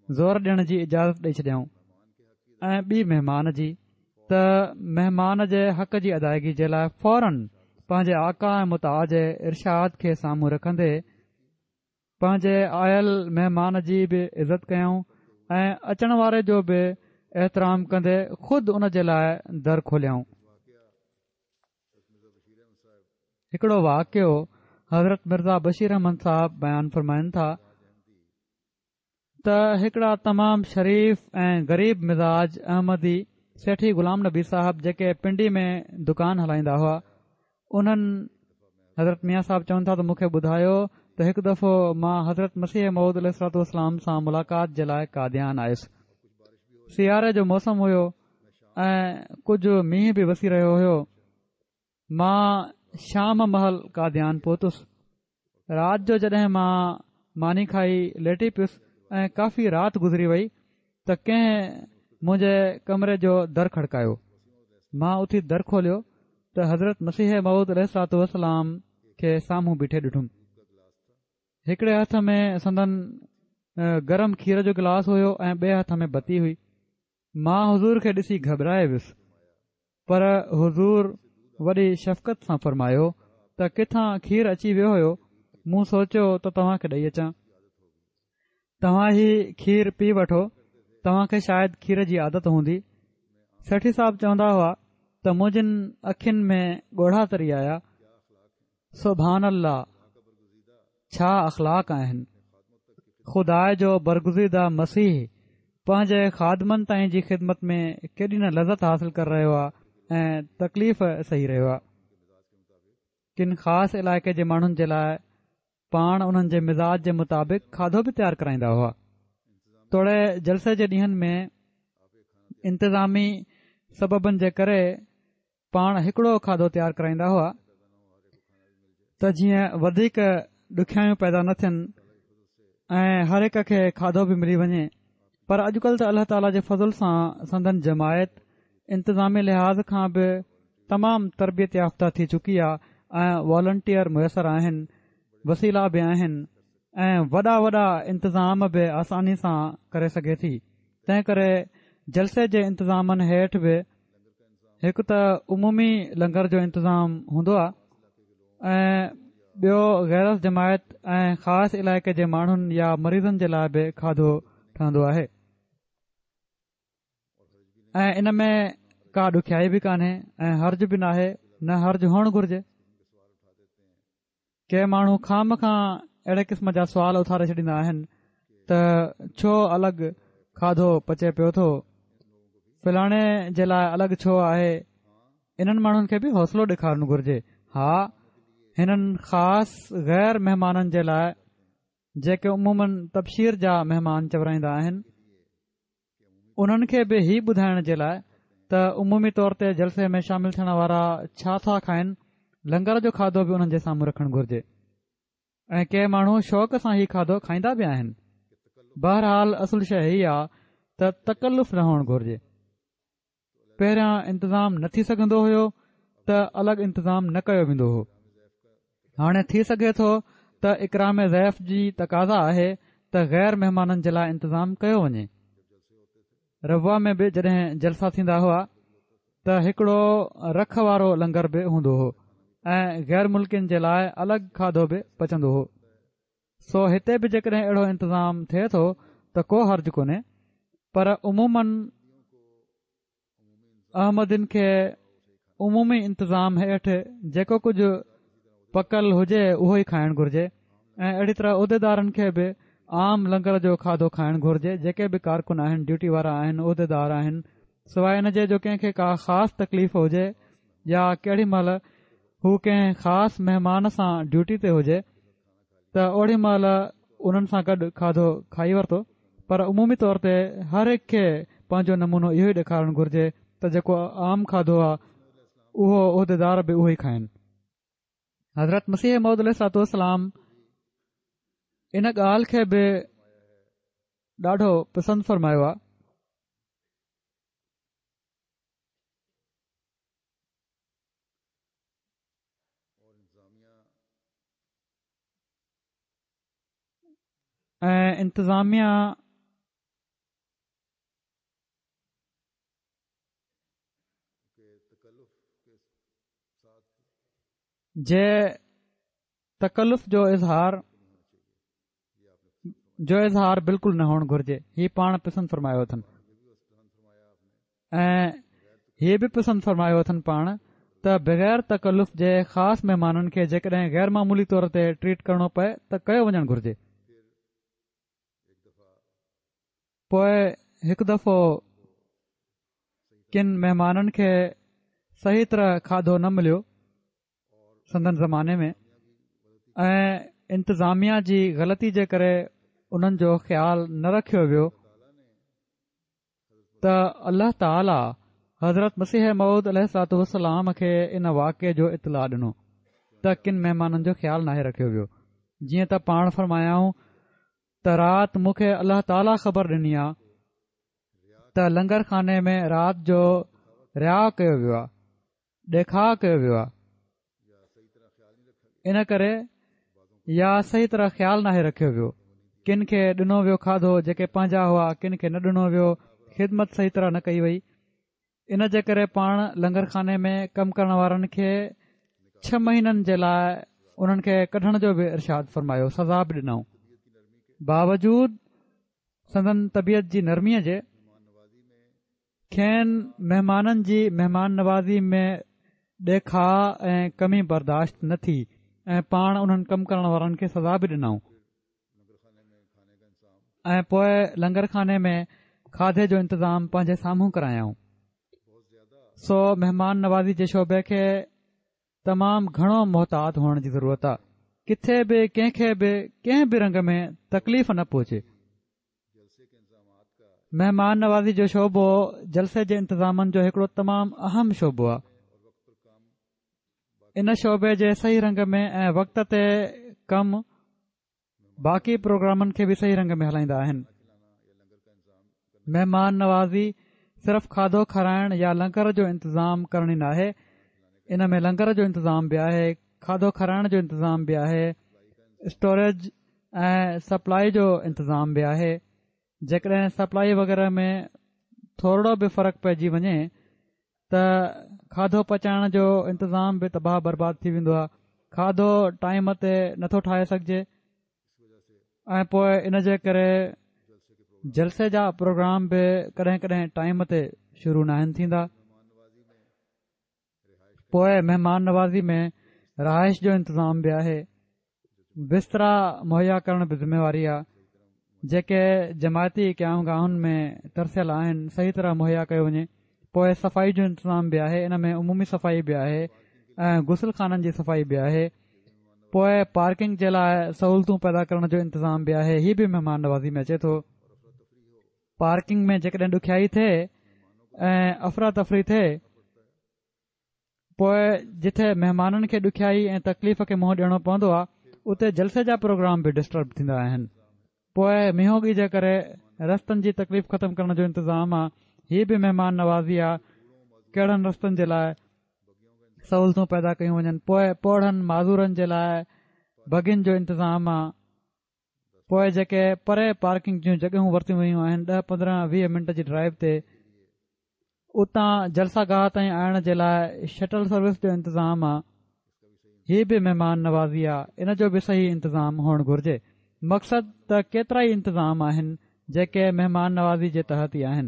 زور ڏيڻ جي اجازت ڏئي ڇڏيائون ۽ ٻي مهمان جي ته مهمان جي حق جي ادائگي جي لاء فورن پنهنجي آقا ۽ مطاع جي ارشاد کي سامهون رکندي پنهنجي آيل مهمان جي به عزت ڪيائون ۽ اچڻ واري جو به احترام ڪندي خود ان جي لاء در کوليائون. هڪڙو واقعو حضرت مرزا بشير احمد صاحب بيان فرمائن ٿا ته هڪڙا تمام شريف ۽ غريب مزاج احمدي سيٺي غلام نبي صاحب جيڪي پنڊي ۾ دڪان هلائيندا هئا انهن حضرت ميان صاحب چون ٿا ته مون کي ٻڌايو ته هڪ دفعو مان حضرت مسيح موعود عليه الصلوة والسلام سان ملاقات جي لاء قاديان آيس. سياري جو موسم هيو ۽ ڪجهه مينهن به وسي رهيو هيو. مان شام مهل قاديان پهتس. رات جو جڏهن مان ماني کائي ليٽي پيس ۽ ڪافي رات گذري وئي ته ڪنهن منهنجي ڪمري جو در کڙڪايو. مان اٿي در کوليو ته حضرت مسيح موعود عليه الصلوة والسلام کي سامهون بيٺي ڏٺم. هڪڙي هٿ ۾ سندن گرم کير جو گلاس هيو ۽ ٻئي هٿ ۾ بتي هئي. مان حضور کي ڏسي گهٻرائي ويس پر حضور وڏي شفقت سان فرمايو ته ڪٿان کير اچي ويو هيو مون سوچيو ته توهان کي ڏئي اچان توهان هي کير پي وٺو توهان کي شايد کير جي عادت هوندي سيٺي صاحب چوندا هئا ته منهنجين اکين ۾ ڳوڙها تري آيا سبحان الله ڇا اخلاق آهن خدا جو برگزيده مسيح پنهنجي خادمن تائين جي خدمت ۾ ڪيڏي نه لذت حاصل ڪري رهيو آهي ۽ تڪليف سهي رهيو آهي ڪن خاص علائقي جي ماڻهن جي لاء پاڻ انهن جي مزاج جي مطابق کاڌو به تيار ڪرائيندا هئا توڙي جلسي جي ڏينهن ۾ انتظامي سببن جي ڪري پاڻ هڪڙو کاڌو تيار ڪرائيندا هئا ته جيئن وڌيڪ ڏکيائيون پيدا نه ٿين ۽ هر هڪ کي کاڌو به ملي وڃي پر اڄڪلهه ته الله تعاليٰ جي فضل سان سندن جماعت انتظامي لحاظ کان به تمام تربيت يافته ٿي چڪي آهي ۽ والنٽيئر ميسر آهن وسيلا به آهن ۽ وڏا وڏا انتظام به آساني سان ڪري سگهي ٿي تنهن ڪري جلسي جي انتظامن هيٺ به هڪ ته عمومي لنگر جو انتظام هوندو آهي ۽ ٻيو غير از جماعت ۽ خاص علائقي جي ماڻهن يا مريضن جي لاء به کاڌو ٺهندو آهي ۽ ان ۾ ڪا ڏکيائي به ڪانهي ۽ حرج به ناهي نه حرج هئڻ گهرجي ڪي ماڻهو خوامخواه اهڙي قسم جا سوال اٿاري ڇڏيندا آهن ته ڇو الڳ کاڌو پچي پيو ٿو فلاڻي جي لاء الڳ ڇو آهي انهن ماڻهن کي به حوصلو ڏيکارڻ گهرجي ها هنن خاص غير مهمانن جي لاء جيڪي عموماً تبشير جا مهمان چورائيندا آهن انهن کي به هي ٻڌائڻ جي لاء ته عمومي طور تي جلسي ۾ شامل ٿيڻ وارا ڇا ٿا کائن لنگر جو کاڌو به انهن جي سامهون رکڻ گهرجي ۽ ڪي ماڻهو شوق سان هي کاڌو کائيندا به آهن بهرحال اصل شيء هي آ ته تڪلف نه هئڻ گهرجي پهريان انتظام نه ٿي سگهندو هيو ته الڳ انتظام نه ڪيو ويندو هو هاڻي ٿي سگهي ٿو ته اڪرام ضيف جي تقاضا آهي ته غير مهمانن جي لاء انتظام ڪيو وڃي ربوه ۾ به جڏهن جلسا ٿيندا هئا ته هڪڙو رک وارو لنگر به هوندو هو ۽ غير ملڪين جي لاء الڳ کاڌو به پچندو هو سو هتي به جيڪڏهن اهڙو انتظام ٿئي ٿو ته ڪو حرج ڪونهي پر عموماً احمدين کي عمومي انتظام هيٺ جيڪو ڪجهه پڪل هجي اهو ئي کائڻ گهرجي ۽ اهڙي طرح عهديدارن کي به عام لنگر جو کاڌو کائڻ گهرجي، جيڪي به ڪارڪن آهن، ڊيوٽي وارا آهن، عهديدار آهن، سواء ان جي جو ڪنهن کي ڪا خاص تڪليف هجي يا ڪهڙي مهل هو ڪنهن خاص مهمان سان ڊيوٽي تي هجي ته اوڙي مهل انهن سان گڏ کاڌو کائي ورتو پر عمومي طور تي هر هڪ کي پنهنجو نمونو اهو ئي ڏيکارڻ گهرجي ته جيڪو عام کاڌو آهي اهو عهديدار به اهو ئي کائن. حضرت مسيح موعود عليه الصلوة والسلام ان ڳالهه کي به ڏاڍو پسند فرمايو آهي. ۽ انتظاميا جي تڪلف جو اظهار جو اظهار بلڪل نه هئڻ گهرجي هي پاڻ پسند فرمايو اٿن ۽ هي به پسند فرمايو اٿن پاڻ ته بغير تڪلف جي خاص مهمانن کي جيڪڏهن غير معمولي طور تي ٽريٽ ڪرڻو پئي ته ڪيو وڃڻ گهرجي. پوء هڪ دفعو ڪن مهمانن کي صحيح طرح کاڌو نه مليو سندن زماني ۾ ۽ انتظاميا جي غلطي جي ڪري انهن جو خيال نه رکيو ويو ته الله تعالي حضرت مسيح موعود عليه الصلوة والسلام کي ان واقعي جو اطلاع ڏنو ته ڪن مهمانن جو خيال ناهي رکيو ويو جيئن ته پاڻ فرمايائون ته رات مون کي الله تعاليٰ خبر ڏني آ ته لنگر خاني ۾ رات جو رياء ڪيو ويو آ ڏيکاء ڪيو ويو آ ان ڪري يا صحيح طرح خيال ناهي رکيو ويو ڪن کي ڏنو ويو کاڌو جيڪي پنهنجا هئا ڪن کي نه ڏنو ويو خدمت صحيح طرح نه ڪئي وئي ان جي ڪري پاڻ لنگر خاني ۾ ڪم ڪرڻ وارن کي ڇهه مهينن جي لاء انهن کي ڪڍڻ جو به ارشاد فرمايو سزا به ڏنائون باوجود سندن طبيعت جي نرميء جي کين مهمانن جي مهمان نوازي ۾ ڏيکاء ۽ ڪمي برداشت نه ٿي ۽ پاڻ انهن ڪم ڪرڻ وارن کي سزا به ڏنائون ۽ پوء لنگر خاني ۾ کاڌي جو انتظام پنهنجي سامهون ڪرايائون سو مهمان نوازي جي شعبي کي تمام گهڻو محتاط هئڻ جي ضرورت آهي ڪٿي به ڪنهن کي به ڪنهن به رنگ ۾ تڪليف نه پهچي مهمان نوازي جو شعبو جلسي جي انتظامن جو هڪڙو تمام اهم شعبو آهي ان شعبي جي صحيح رنگ ۾ ۽ وقت تي ڪم باقي پروگرامن کي به صحيح رنگ ۾ هلائيندا آهن. مهمان نوازي صرف کاڌو کارائڻ يا لنگر جو انتظام ڪرڻ ئي ناهي، ان ۾ لنگر جو انتظام به آهي، کاڌو کارائڻ جو انتظام به آهي، اسٽوريج ۽ سپلائي جو انتظام به آهي. جيڪڏهن سپلائي وغيره ۾ ٿورڙو به فرق پئجي وڃي ته کاڌو پچائڻ جو انتظام به تباهه برباد ٿي ويندو آهي کاڌو ٽائيم تي نٿو ٺاهي سگهجي ۽ پوء ان جي ڪري جلسي جا پروگرام به ڪڏهن ڪڏهن ٽائيم تي شروع ناهن ٿيندا پوء مهمان نوازي ۾ رهائش جو انتظام به آهي بسترا مهيا ڪرڻ به ذميواري آهي جيڪي جماعتي قيام گاهن ۾ ترسيل آهن صحيح طرح مهيا ڪيو وڃي پوء صفائي جو انتظام به آهي ان ۾ عمومي صفائي به آهي ۽ غسل خانن جي صفائي به آهي پوء پارڪنگ جي لاء سهولتون پيدا ڪرڻ جو انتظام به آهي هي به مهمان نوازي ۾ اچي ٿو پارڪنگ ۾ جيڪڏهن ڏکيائي ٿئي ۽ افراتفري ٿئي پوء جتي مهمانن کي ڏکيائي ۽ تڪليف کي منهن ڏيڻو پوندو آهي اتي جلسي جا پروگرام به ڊسٽرب ٿيندا آهن پوء مينهوڳي جي ڪري رستن جي تڪليف ختم ڪرڻ جو انتظام آهي هي به مهمان نوازي آهي ڪهڙن رستن جي لاء سهولتون پيدا ڪيون وڃن پوء پوڙهن معذورن جي لاء بگين جو انتظام آهي پوء جيڪي پري پارڪنگ جون جڳهيون ورتيون ويون آهن ڏهه 15 20 منٽ جي ڊرائيو تي اتان جلسه گاهه تائين آڻڻ جي لاء شٽل سروس جو انتظام آ هي به مهمان نوازي آ ان جو به صحيح انتظام هئڻ گهرجي مقصد ته ڪيترائي انتظام آهن جيڪي مهمان نوازي جي تحت ئي آهن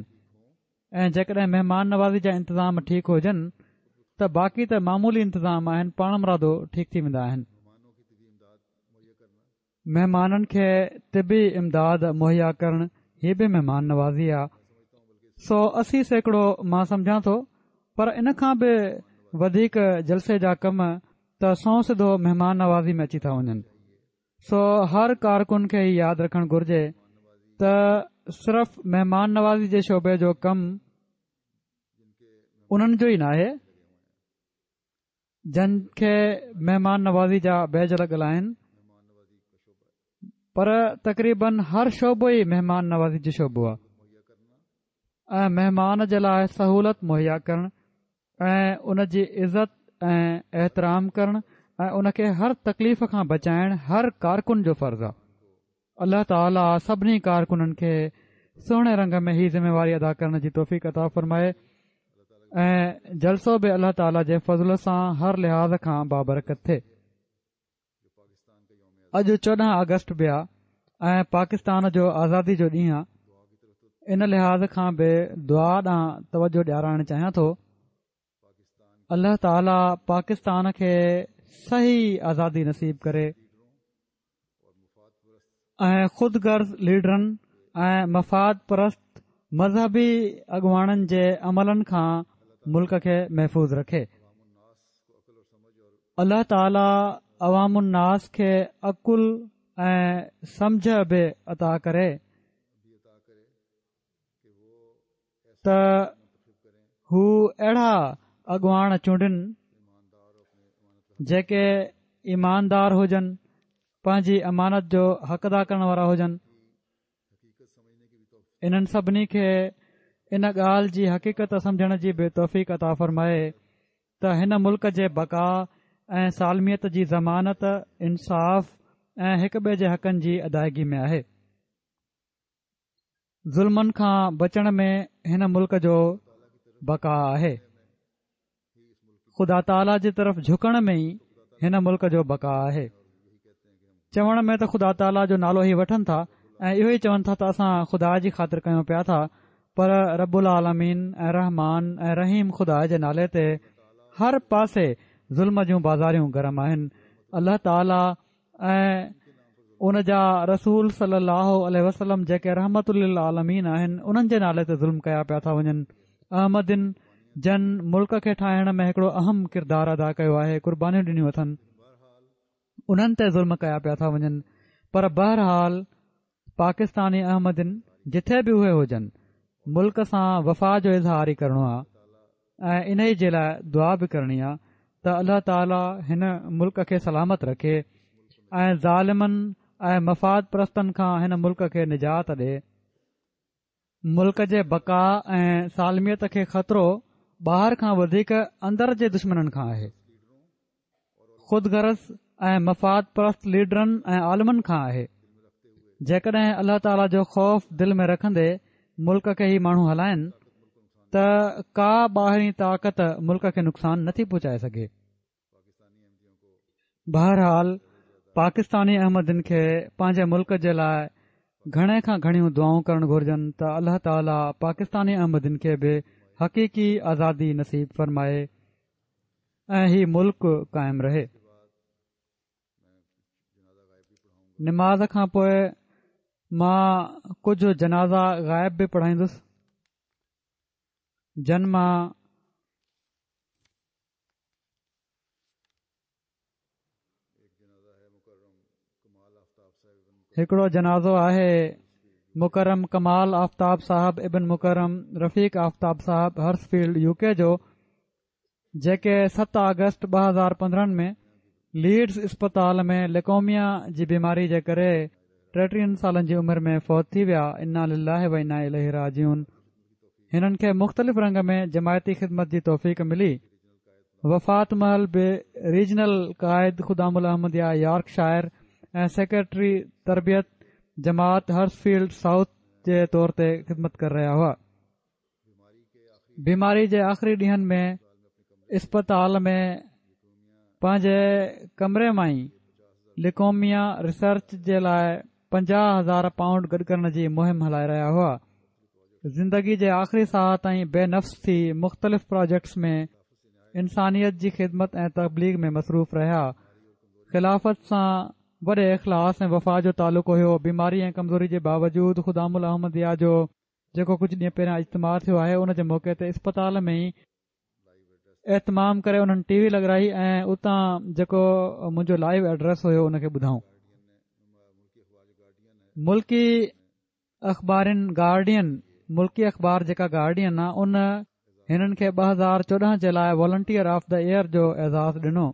۽ جيڪڏهن مهمان نوازي جا انتظام ٺيڪ هجن ته باقي ته معمولي انتظام آهن پاڻمرادو ٺيڪ ٿي ويندا آهن. مهمانن کي طبي امداد مهيا ڪرڻ هي به مهمان نوازي آ. سو 80% مان سمجهان ٿو پر ان کان به وڌيڪ جلسي جا ڪم ته سنئون سڌو مهمان نوازي ۾ اچي ٿا وڃن. سو هر ڪارڪن کي هي ياد رکڻ گهرجي ته صرف مهمان نوازي جي شعبي جو ڪم انهن جو ئي ناهي. جن کي مهمان نوازي جا بيج لڳل آهن پر تقريبن هر شعبو ئي مهمان نوازي جو شعبو آهي ۽ مهمان جي لاء سهولت مهيا ڪرڻ ۽ ان جي عزت ۽ احترام ڪرڻ ۽ ان کي هر تڪليف کان بچائڻ هر ڪارڪن جو فرض آهي. الله تعالي سڀني ڪارڪنن کي سهڻي رنگ ۾ هي ذميواري ادا ڪرڻ جي توفيق عطا فرمائي ۽ جلسو به الله تعالي جي فضل سان هر لحاظ کان بابرڪت ٿئي. اڄ 14 آگسٽ به آ ۽ پاڪستان جو آزادي جو ڏينهن آ ان لحاظ کان به دعا ڏانهن توجه ڏيارائڻ چاهيان ٿو. الله تعالي پاڪستان کي صحيح آزادي نصيب ڪري ۽ خود غرض ليڊرن ۽ مفاد پرست مذهبي اڳواڻن جي عملن کان ملڪ کي محفوظ رکي. الله تعالي عوام الناس کي عقل ۽ سمجهه به عطا ڪري. ته هو اهڙا اڳواڻ چونڊين جيڪي ايماندار هجن پنهنجي امانت جو حق ادا ڪرڻ وارا هجن انهن سڀني کي ان ڳالهه جي حقيقت سمجهڻ جي به توفيق عطا فرمائي ته هن ملڪ جي بقا ۽ سالميت جي ضمانت انصاف ۽ هڪ ٻئي جي حقن جي ادائگي ۾ آهي. ظلمن کان بچڻ ۾ هن ملڪ جو بقا آهي. خدا تعاليٰ جي طرف جهڪڻ ۾ ئي هن ملڪ جو بقا آهي. چوڻ ۾ ته خدا تعاليٰ جو نالو هي وٺن ٿا ۽ اهو ئي چون ٿا ته اسان خدا جي خاطر ڪيون پيا ٿا پر رب العالمين ۽ رحمان ۽ رحيم خدا جي نالي تي هر پاسي ظلم جون بازاريون گرم آهن. الله تعاليٰ ۽ ان جا رسول صلي الله عليه وسلم جيڪي رحمت للعالمين آهن انهن جي نالي تي ظلم ڪيا پيا ٿا وڃن. احمدين جن ملڪ کي ٺاهڻ ۾ هڪڙو اهم ڪردار ادا ڪيو آهي قربانيون ڏنيون اٿن انهن تي ظلم ڪيا پيا ٿا وڃن پر بهرحال پاڪستاني احمدين جٿي به اهي هجن ملڪ سان وفا جو اظهار ئي ڪرڻو آهي. ۽ انهي جي لاء دعا به ڪرڻي آ ته الله تعالي هن ملڪ کي سلامت رکي ۽ ظالمن ۽ مفاد پرستن کان هن ملڪ کي نجات ڏي. ملڪ جي بقا ۽ سالميت کي خطرو ٻاهر کان وڌيڪ اندر جي دشمنن کان آهي. خود غرض ۽ مفاد پرست ليڊرن ۽ عالمن کان آهي جيڪڏهن الله تعاليٰ جو خوف دل ۾ رکندي ملڪ کي هي ماڻهو هلائن ته ڪا ٻاهرين طاقت ملڪ کي نقصان نٿي پهچائي سگهي بهرحال پاڪستاني احمدين کي پنهنجي ملڪ جي لاء گهڻي کان گهڻيون دعائون ڪرڻ گهرجن ته الله تعاليٰ پاڪستاني احمدين کي به حقيقي آزادي نصيب فرمائي ۽ هي ملڪ قائم رهي. نماز کان پوء مان ڪجهه جنازا غائب به پڙهائيندس جن مان هڪڙو جنازو آهي مڪرم ڪمال آفتاب صاحب ابن مڪرم رفيق آفتاب صاحب هرس فيلڊ يو ڪي جو جيڪي 7 آگسٽ 2015 ۾ ليڊز اسپتال ۾ ليوڪيميا جي بيماري جي ڪري 33 سالن جي عمر ۾ فوت ٿي ويا انا لله و انا اليه راجعون هنن کي مختلف رنگ ۾ جماعتي خدمت جي توفيق ملي وفات مهل به ريجنل قائد خدام الاحمديه يارڪ شائر ۽ سيڪريٽري تربيت جماعت هرس فيلڊ سائوٿ جي طور تي خدمت ڪري رهيا هئا. بيماري جي آخري ڏينهن ۾ اسپتال ۾ پنهنجي ڪمري مان ئي ليوڪيميا ريسرچ جي لاء 50,000 پائونڊ گڏ ڪرڻ جي مهم هلائي رهيا هئا. زندگي جي آخري ساهه تائين بي نفس ٿي مختلف پراجيڪٽس ۾ انسانيت جي خدمت ۽ تبليغ ۾ مصروف رهيا. خلافت سان وڏي اخلاص ۽ وفا جو تعلق هيو. بيماري ۽ ڪمزوري جي باوجود خدام الاحمديه جو جيڪو ڪجهه ڏينهن پهريان اجتماع ٿيو آهي ان جي موقعي تي اسپتال ۾ ئي اهتمام ڪري انهن ٽي وي لڳرائي ۽ اتان جيڪو منهنجو لائيو ايڊريس هيو ان کي ٻڌائون. ملڪي اخبارين گارڊين ملڪي اخبار جيڪا گارڊين آ ان هنن کي 2014 جي لاء والنٽيئر آف the air جو اعزاز ڏنو.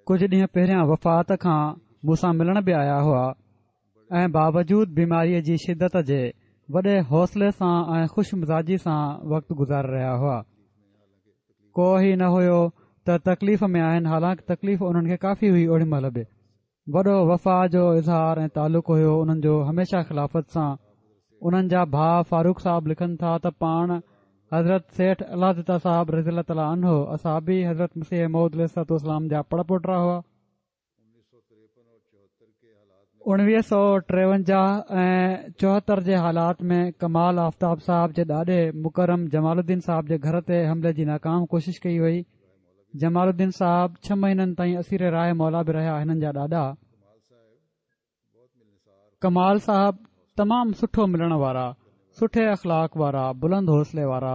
ڪجهه ڏينهن پهريان وفات کان مون سان ملڻ به آيا هئا ۽ باوجود بيماريء جي شدت جي وڏي حوصلي سان ۽ خوش مزاجي سان وقت گذاري رهيا هئا. ڪو هي نه هيو ته تڪليف ۾ آهن حالانڪ تڪليف انهن کي ڪافي هئي اوڏي مهل به. وڏو وفا جو اظهار ۽ تعلق هيو انهن جو هميشه خلافت سان. انهن جا ڀاء فاروق صاحب لکن ٿا ته پاڻ حضرت سيٺ الله دتا صاحب رضي الله تعالٰي عنه اصحابي حضرت مسيح موعود عليه الصلوة والسلام جا پڙ پوٽا هئا. 1953 ۽ 74 جي حالات ۾ ڪمال آفتاب صاحب جي ڏاڏي مڪرم جمال الدين صاحب جي گهر تي حملي جي ناڪام ڪوشش ڪئي وئي. جمال الدين صاحب ڇهه مهينن تائين اسير راهه مولا به رهيا هنن جا ڏاڏا ڪمال صاحب تمام سٺو ملڻ وارا سٺي اخلاق وارا بلند حوصلي وارا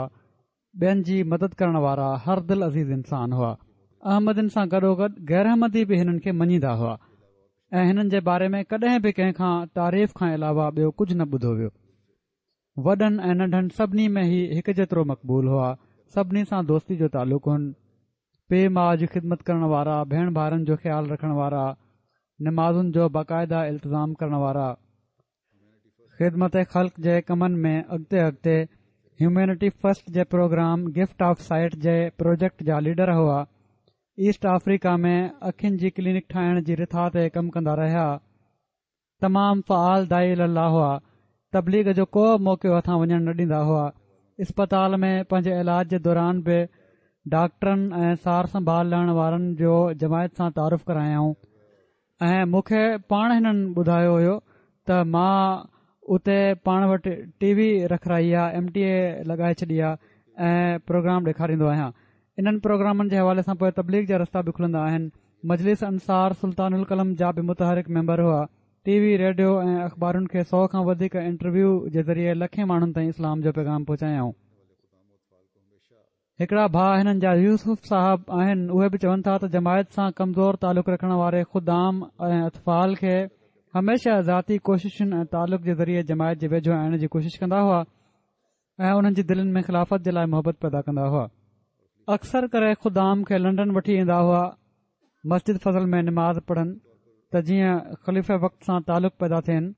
ٻين جي مدد ڪرڻ وارا هر دل عزيز انسان هئا احمدين سان گڏوگڏ غير احمدي به هنن کي مڃيندا هئا ۽ هنن جي باري ۾ ڪڏهن به ڪنهن کان تعريف کان علاوه ٻيو ڪجهه نه ٻڌو ويو وڏن ۽ ننڍن سڀني ۾ هي هڪ جيترو مقبول هئا. سڀني سان دوستي جو تعلق هن. پيء ماء جي خدمت ڪرڻ وارا، ڀيڻ ڀائرن جو خيال رکڻ وارا، نمازن جو باقاعده التزام ڪرڻ وارا، خدمت خلق جي ڪمن ۾ اڳتي اڳتي، هيومينٽي فرسٽ جي پروگرام گفٽ آف سائيٽ جي پروجيڪٽ جا ليڊر هئا. ايسٽ آفريڪا ۾ اکين جي ڪلينڪ ٺاهڻ جي رٿا تي ڪم ڪندا رهيا. تمام فعال داعي الي الله هئا، تبليغ جو ڪو موقعو هٿان وڃڻ نه ڏيندا هئا، اسپتال ۾ پنهنجي علاج جي دوران به ڊاڪٽرن ۽ سار سنڀال لهڻ وارن جو جماعت سان تعارف ڪرايائون ۽ مون کي پاڻ هنن ٻڌايو هيو ته مان اتي پاڻ وٽ ٽي وي رکرائي آ ايم ٽي اي لڳائي ڇڏي آ ۽ پروگرام ڏيکاريندو آهيان انهن پروگرامن جي حوالي سان پوء تبليغ جا رستا به کلندا آهن مجلس انصار سلطان القلم جا به متحرڪ ميمبر هئا. ٽي وي، ريڊيو ۽ اخبارن کي سو کان وڌيڪ انٽرويو جي ذريعي لکين ماڻهن تائين اسلام جو پيغام پهچايائون. هڪڙا ڀاء هنن جا يوسف صاحب آهن اهي به چون ٿا ته جماعت سان ڪمزور تعلق رکڻ واري خدام ۽ اطفال کي هميشه ذاتي ڪوششن ۽ تعلق جي ذريعي جماعت جي ويجهو آڻڻ جي ڪوشش ڪندا هئا. ۽ انهن جي دلين ۾ خلافت جي لاء محبت پيدا ڪندا هئا. اڪثر ڪري خدام کي لنڊن وٺي ايندا هئا مسجد فضل ۾ نماز پڙهن ته جيئن خليفه وقت سان تعلق پيدا ٿين.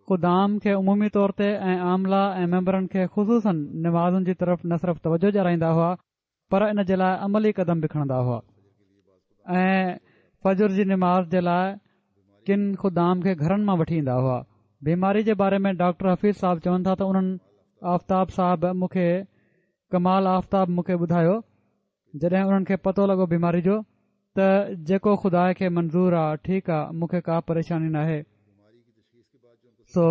خدام کي عمومي طور تي ۽ عامله ۽ ميمبرن کي خصوصاً نمازن جي طرف نه صرف توجه ڏيارائيندا هئا پر ان جي لاء عملي قدم به کڻندا هئا ۽ فجر جي نماز جي لاء ڪن خدام کي گهرن مان وٺي ايندا هئا بيماري جي باري ۾ ڊاڪٽر حفيظ صاحب چون ٿا ته انهن آفتاب صاحب مون کي ڪمال آفتاب مون کي ٻڌايو جڏهن انهن کي پتو لڳو بيماري جو ته جيڪو خدا کي منظور آ ٺيڪ آ مون کي ڪا پريشاني ناهي سو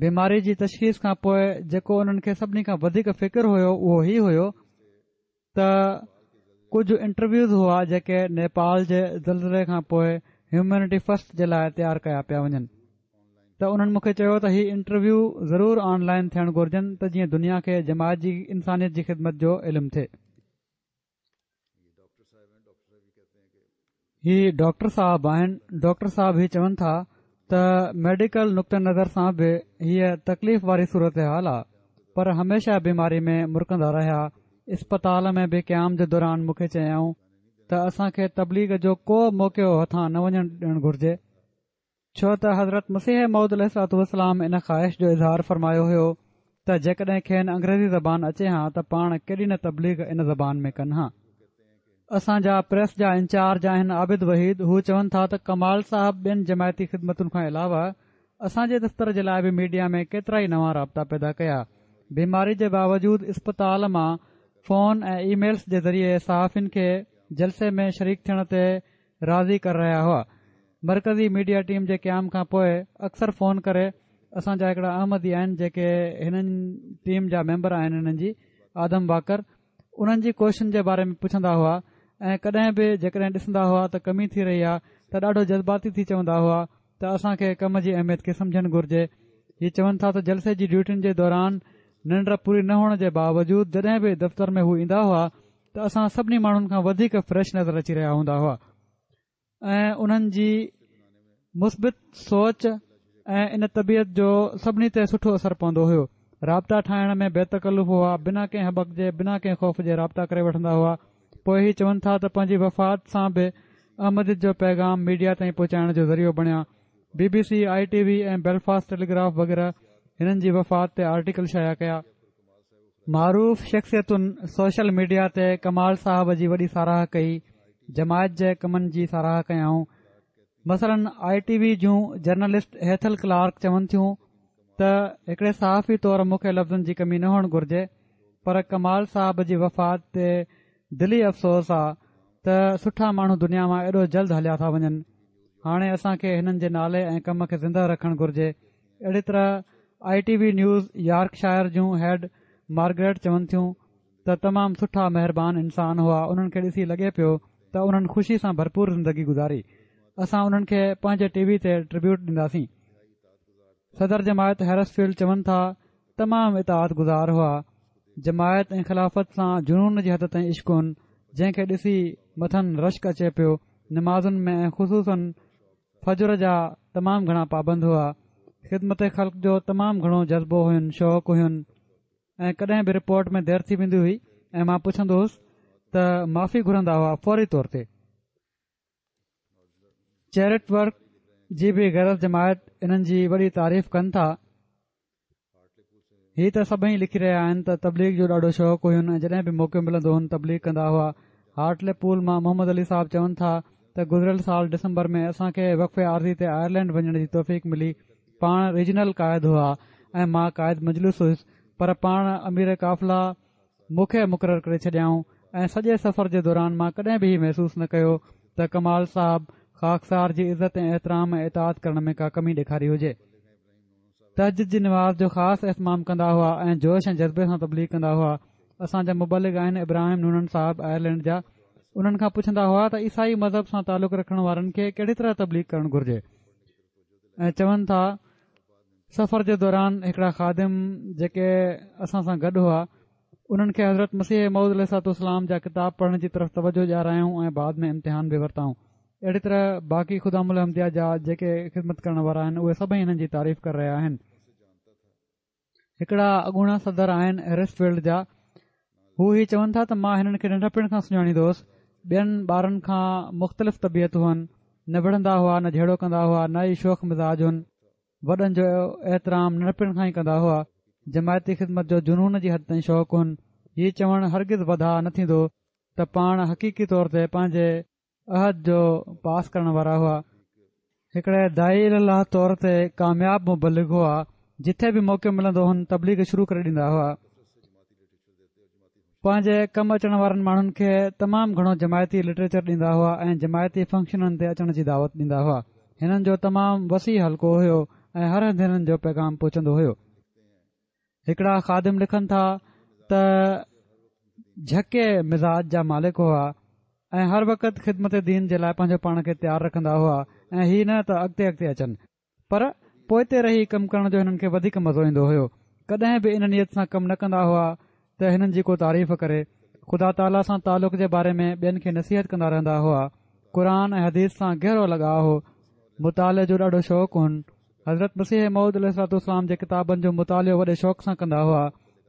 بيماري جي تشخيص کان پوء جيڪو انهن کي سڀني کان وڌيڪ فڪر هيو اهو هي هيو ته ڪجهه انٽرويوز هئا جيڪي نيپال جي زلزلي کان پوء هيومينٽي فرسٽ جي لاء تيار ڪيا پيا وڃن ته انهن مون کي چيو ته هي انٽرويو ضرور آن لائن ٿيڻ گهرجن ته جيئن دنيا کي جماعت جي انسانيت جي خدمت جو علم ٿئي. هي ڊاڪٽر صاحب آهن ڊاڪٽر صاحب هي چون ٿا ته ميڊيڪل نقطه نظر سان به هيء تڪليف واري صورتحال آ پر هميشه بيماري ۾ مرڪندا رهيا اسپتال ۾ به قيام جي دوران مون کي چيائون ته اسان کي تبليغ جو ڪو موقعو هٿان نه وڃڻ ڏيڻ گهرجي ڇو ته حضرت مسيح موعود عليه الصلوة والسلام ان خواهش جو اظهار فرمايو هيو ته جيڪڏهن کين انگريزي زبان اچي هان ته پاڻ ڪيڏي نه تبليغ ان زبان ۾ ڪن هان. اسان جا پريس جا انچارج آهن عابد وحيد هو چون ٿا ته ڪمال صاحب ٻين جماعتي خدمتن کان علاوه اسان جي دفتر جي لاء به ميڊيا ۾ ڪيترائي نوان رابطا پيدا ڪيا بيماري جي باوجود اسپتال مان فون ۽ اي ميلز جي ذريعي صحافين کي جلسي ۾ شريڪ ٿيڻ تي راضي ڪري رهيا هئا. مرڪزي ميڊيا ٽيم جي قيام کان پوء اڪثر فون ڪري اسان جا هڪڙا احمدي آهن جيڪي هنن ٽيم جا ميمبر آهن هنن جي آدم واڪر انهن جي ڪوششن جي باري ۾ پڇندا هئا ۽ ڪڏهن به جيڪڏهن ڏسندا هئا ته ڪمي ٿي رهي آهي ته ڏاڍو جذباتي ٿي چوندا هئا ته اسان کي ڪم جي اهميت کي سمجهڻ گهرجي. هي چون ٿا ته جلسي جي ڊيوٽين جي دوران ننڊ پوري نه هئڻ جي باوجود جڏهن به دفتر ۾ هو ايندا هئا ته اسان سڀني ماڻهن کان وڌيڪ فريش نظر اچي رهيا هوندا هئا ۽ انهن جي مثبت سوچ ۽ ان طبيعت جو سڀني تي سٺو اثر پوندو هيو. رابطا ٺاهڻ ۾ بي تڪلف هئا، بنا ڪنهن هٻڪ جي، بنا ڪنهن خوف جي رابطا ڪري وٺندا هئا. پوء هي چون ٿا ته پنهنجي وفات سان به احمديت جو پيغام ميڊيا تائين پهچائڻ جو ذريعو بڻيا. بي بي سي، آء ٽي وي ۽ بيلفاسٽ ٽيليگراف وغيره هنن جي وفات تي آرٽيڪل شايع ڪيا. معروف شخصيتن سوشل ميڊيا تي ڪمال صاحب جي وڏي ساراهه ڪئي، جماعت جي ڪمن جي ساراهه ڪيائون. مثلاً آء ٽي وي جون جرنلسٽ هيٿل ڪلارڪ چون ٿيون ته هڪڙي صحافي طور مون کي لفظن جي ڪمي نه هئڻ گهرجي پر ڪمال صاحب جي وفات تي دلي افسوس آ ته سٺا ماڻهو دنيا مان ايڏو جلد هليا ٿا وڃن هاڻي اسان کي هنن جي نالي ۽ ڪم کي زنده رکڻ گهرجي اهڙي طرح I T V news Yorkshire June head Margaret چون ٿيون ته تمام سٺا مهربان انسان هئا انهن کي ڏسي لڳي پيو ته انهن خوشي سان ڀرپور زندگي گذاري اسان انهن کي پنهنجي ٽي وي تي ٽربيوٽ ڏينداسين صدر جماعت هيرس فيلڊ چون ٿا تمام اطاعت گذار هئا جماعت ۽ خلافت سان جنون جي حد تائين عشق هن جنهن کي ڏسي مٿن رشڪ اچي پيو نمازن ۾ ۽ خصوصن فجر جا تمام گهڻا پابند هئا خدمت خلق جو تمام گهڻو جذبو هين شوق هين ۽ ڪڏهن به رپورٽ ۾ دير ٿي ويندي هئي ۽ مان پڇندو هوس ته معافي گهرندا هئا فوري طور تي. چيرٽ ورڪ جي به غير از جماعت انهن جي وڏي تعريف ڪن ٿا. هي ته سڀئي لکي رهيا آهن ته تبليغ جو ڏاڍو شوق هين ۽ جڏهن به موقعو ملندو هن تبليغ ڪندا هئا. هارٽلي پول مان محمد علي صاحب چون ٿا ته گذريل سال ڊسمبر ۾ اسان کي وقف عارضي تي آئرلينڊ وڃڻ جي توفيق ملي پاڻ ريجنل قائد هئا ۽ مان قائد مجلس هيس پر پاڻ امير قافله مون کي مقرر ڪري ڇڏيائون ۽ سڄي سفر جي دوران مان ڪڏهن به هي محسوس نه ڪيو ته ڪمال صاحب خاڪسار جي عزت ۽ احترام ۽ اطاعت ڪرڻ ۾ ڪا ڪمي ڏيکاري هجي. تهجد جي نماز جو خاص اهتمام ڪندا هئا ۽ جوش ۽ جذبي سان تبليغ ڪندا هئا. اسان جا مبلغ آهن ابراهيم نونن صاحب آئرلينڊ جا انهن کان پڇندا هئا ته عيسائي مذهب سان تعلق رکڻ وارن کي ڪهڙي طرح تبليغ ڪرڻ گهرجي؟ ۽ چون ٿا سفر جي دوران هڪڙا خادم جيڪي اسان سان گڏ هئا انهن کي حضرت مسيح موعود عليه الصلوة والسلام جا ڪتاب پڙهڻ جي طرف توجه ڏيارايائون ۽ بعد ۾ امتحان به ورتائون اهڙي طرح باقي خدام الاحمديه جا جيڪي خدمت ڪرڻ وارا آهن اهي سڀئي هنن جي تعريف ڪري رهيا آهن هڪڙا اڳوڻا صدر آهن هيرس فيلڊ جا هو هي چون ٿا ته مان هنن کي ننڍپڻ کان سڃاڻيندو هوس ٻين ٻارن کان مختلف طبيعت هئن نه وڙهندا هئا نه جهيڙو ڪندا هئا نه ئي شوخ مزاج هئن وڏن جو احترام ننڍپڻ کان ئي ڪندا هئا جماعتي خدمت جو جنون جي حد تائين شوق هئن هي چوڻ هرگز وڌاء نه ٿيندو ته پاڻ حقيقي طور تي پنهنجي عهد جو پاس ڪرڻ وارا هئا. هڪڙي داعي الي الله طور تي ڪامياب مبلغ هئا جٿي به موقعو ملندو هن تبليغ شروع ڪري ڏيندا هئا. پنهنجي ڪم اچڻ وارن ماڻهن کي تمام گهڻو جماعتي لٽريچر ڏيندا هئا ۽ جماعتي فنڪشنن تي اچڻ جي دعوت ڏيندا هئا. هنن جو تمام وسيع حلقو هيو ۽ هر هنڌ هنن جو پيغام پهچندو هيو. هڪڙا خادم لکن ٿا ته جهڪي مزاج جا مالڪ هئا ۽ هر وقت خدمت دين جي لاء پنهنجو پاڻ کي تيار رکندا هئا ۽ هي نه ته اڳتي اڳتي اچن پر پوئتي رهي ڪم ڪرڻ جو هنن کي وڌيڪ مزو ايندو هيو ڪڏهن به ان نيت سان ڪم نه ڪندا هئا ته هنن جي ڪو تعريف ڪري خدا تعاليٰ سان تعلق جي باري ۾ ٻين کي نصيحت ڪندا رهندا هئا قرآن ۽ حديث سان گهرو لڳاء هو مطالعي جو ڏاڍو شوق هن حضرت مسيح موعود عليه الصلوة والسلام جي ڪتابن جو مطالعو وڏي شوق سان ڪندا هئا.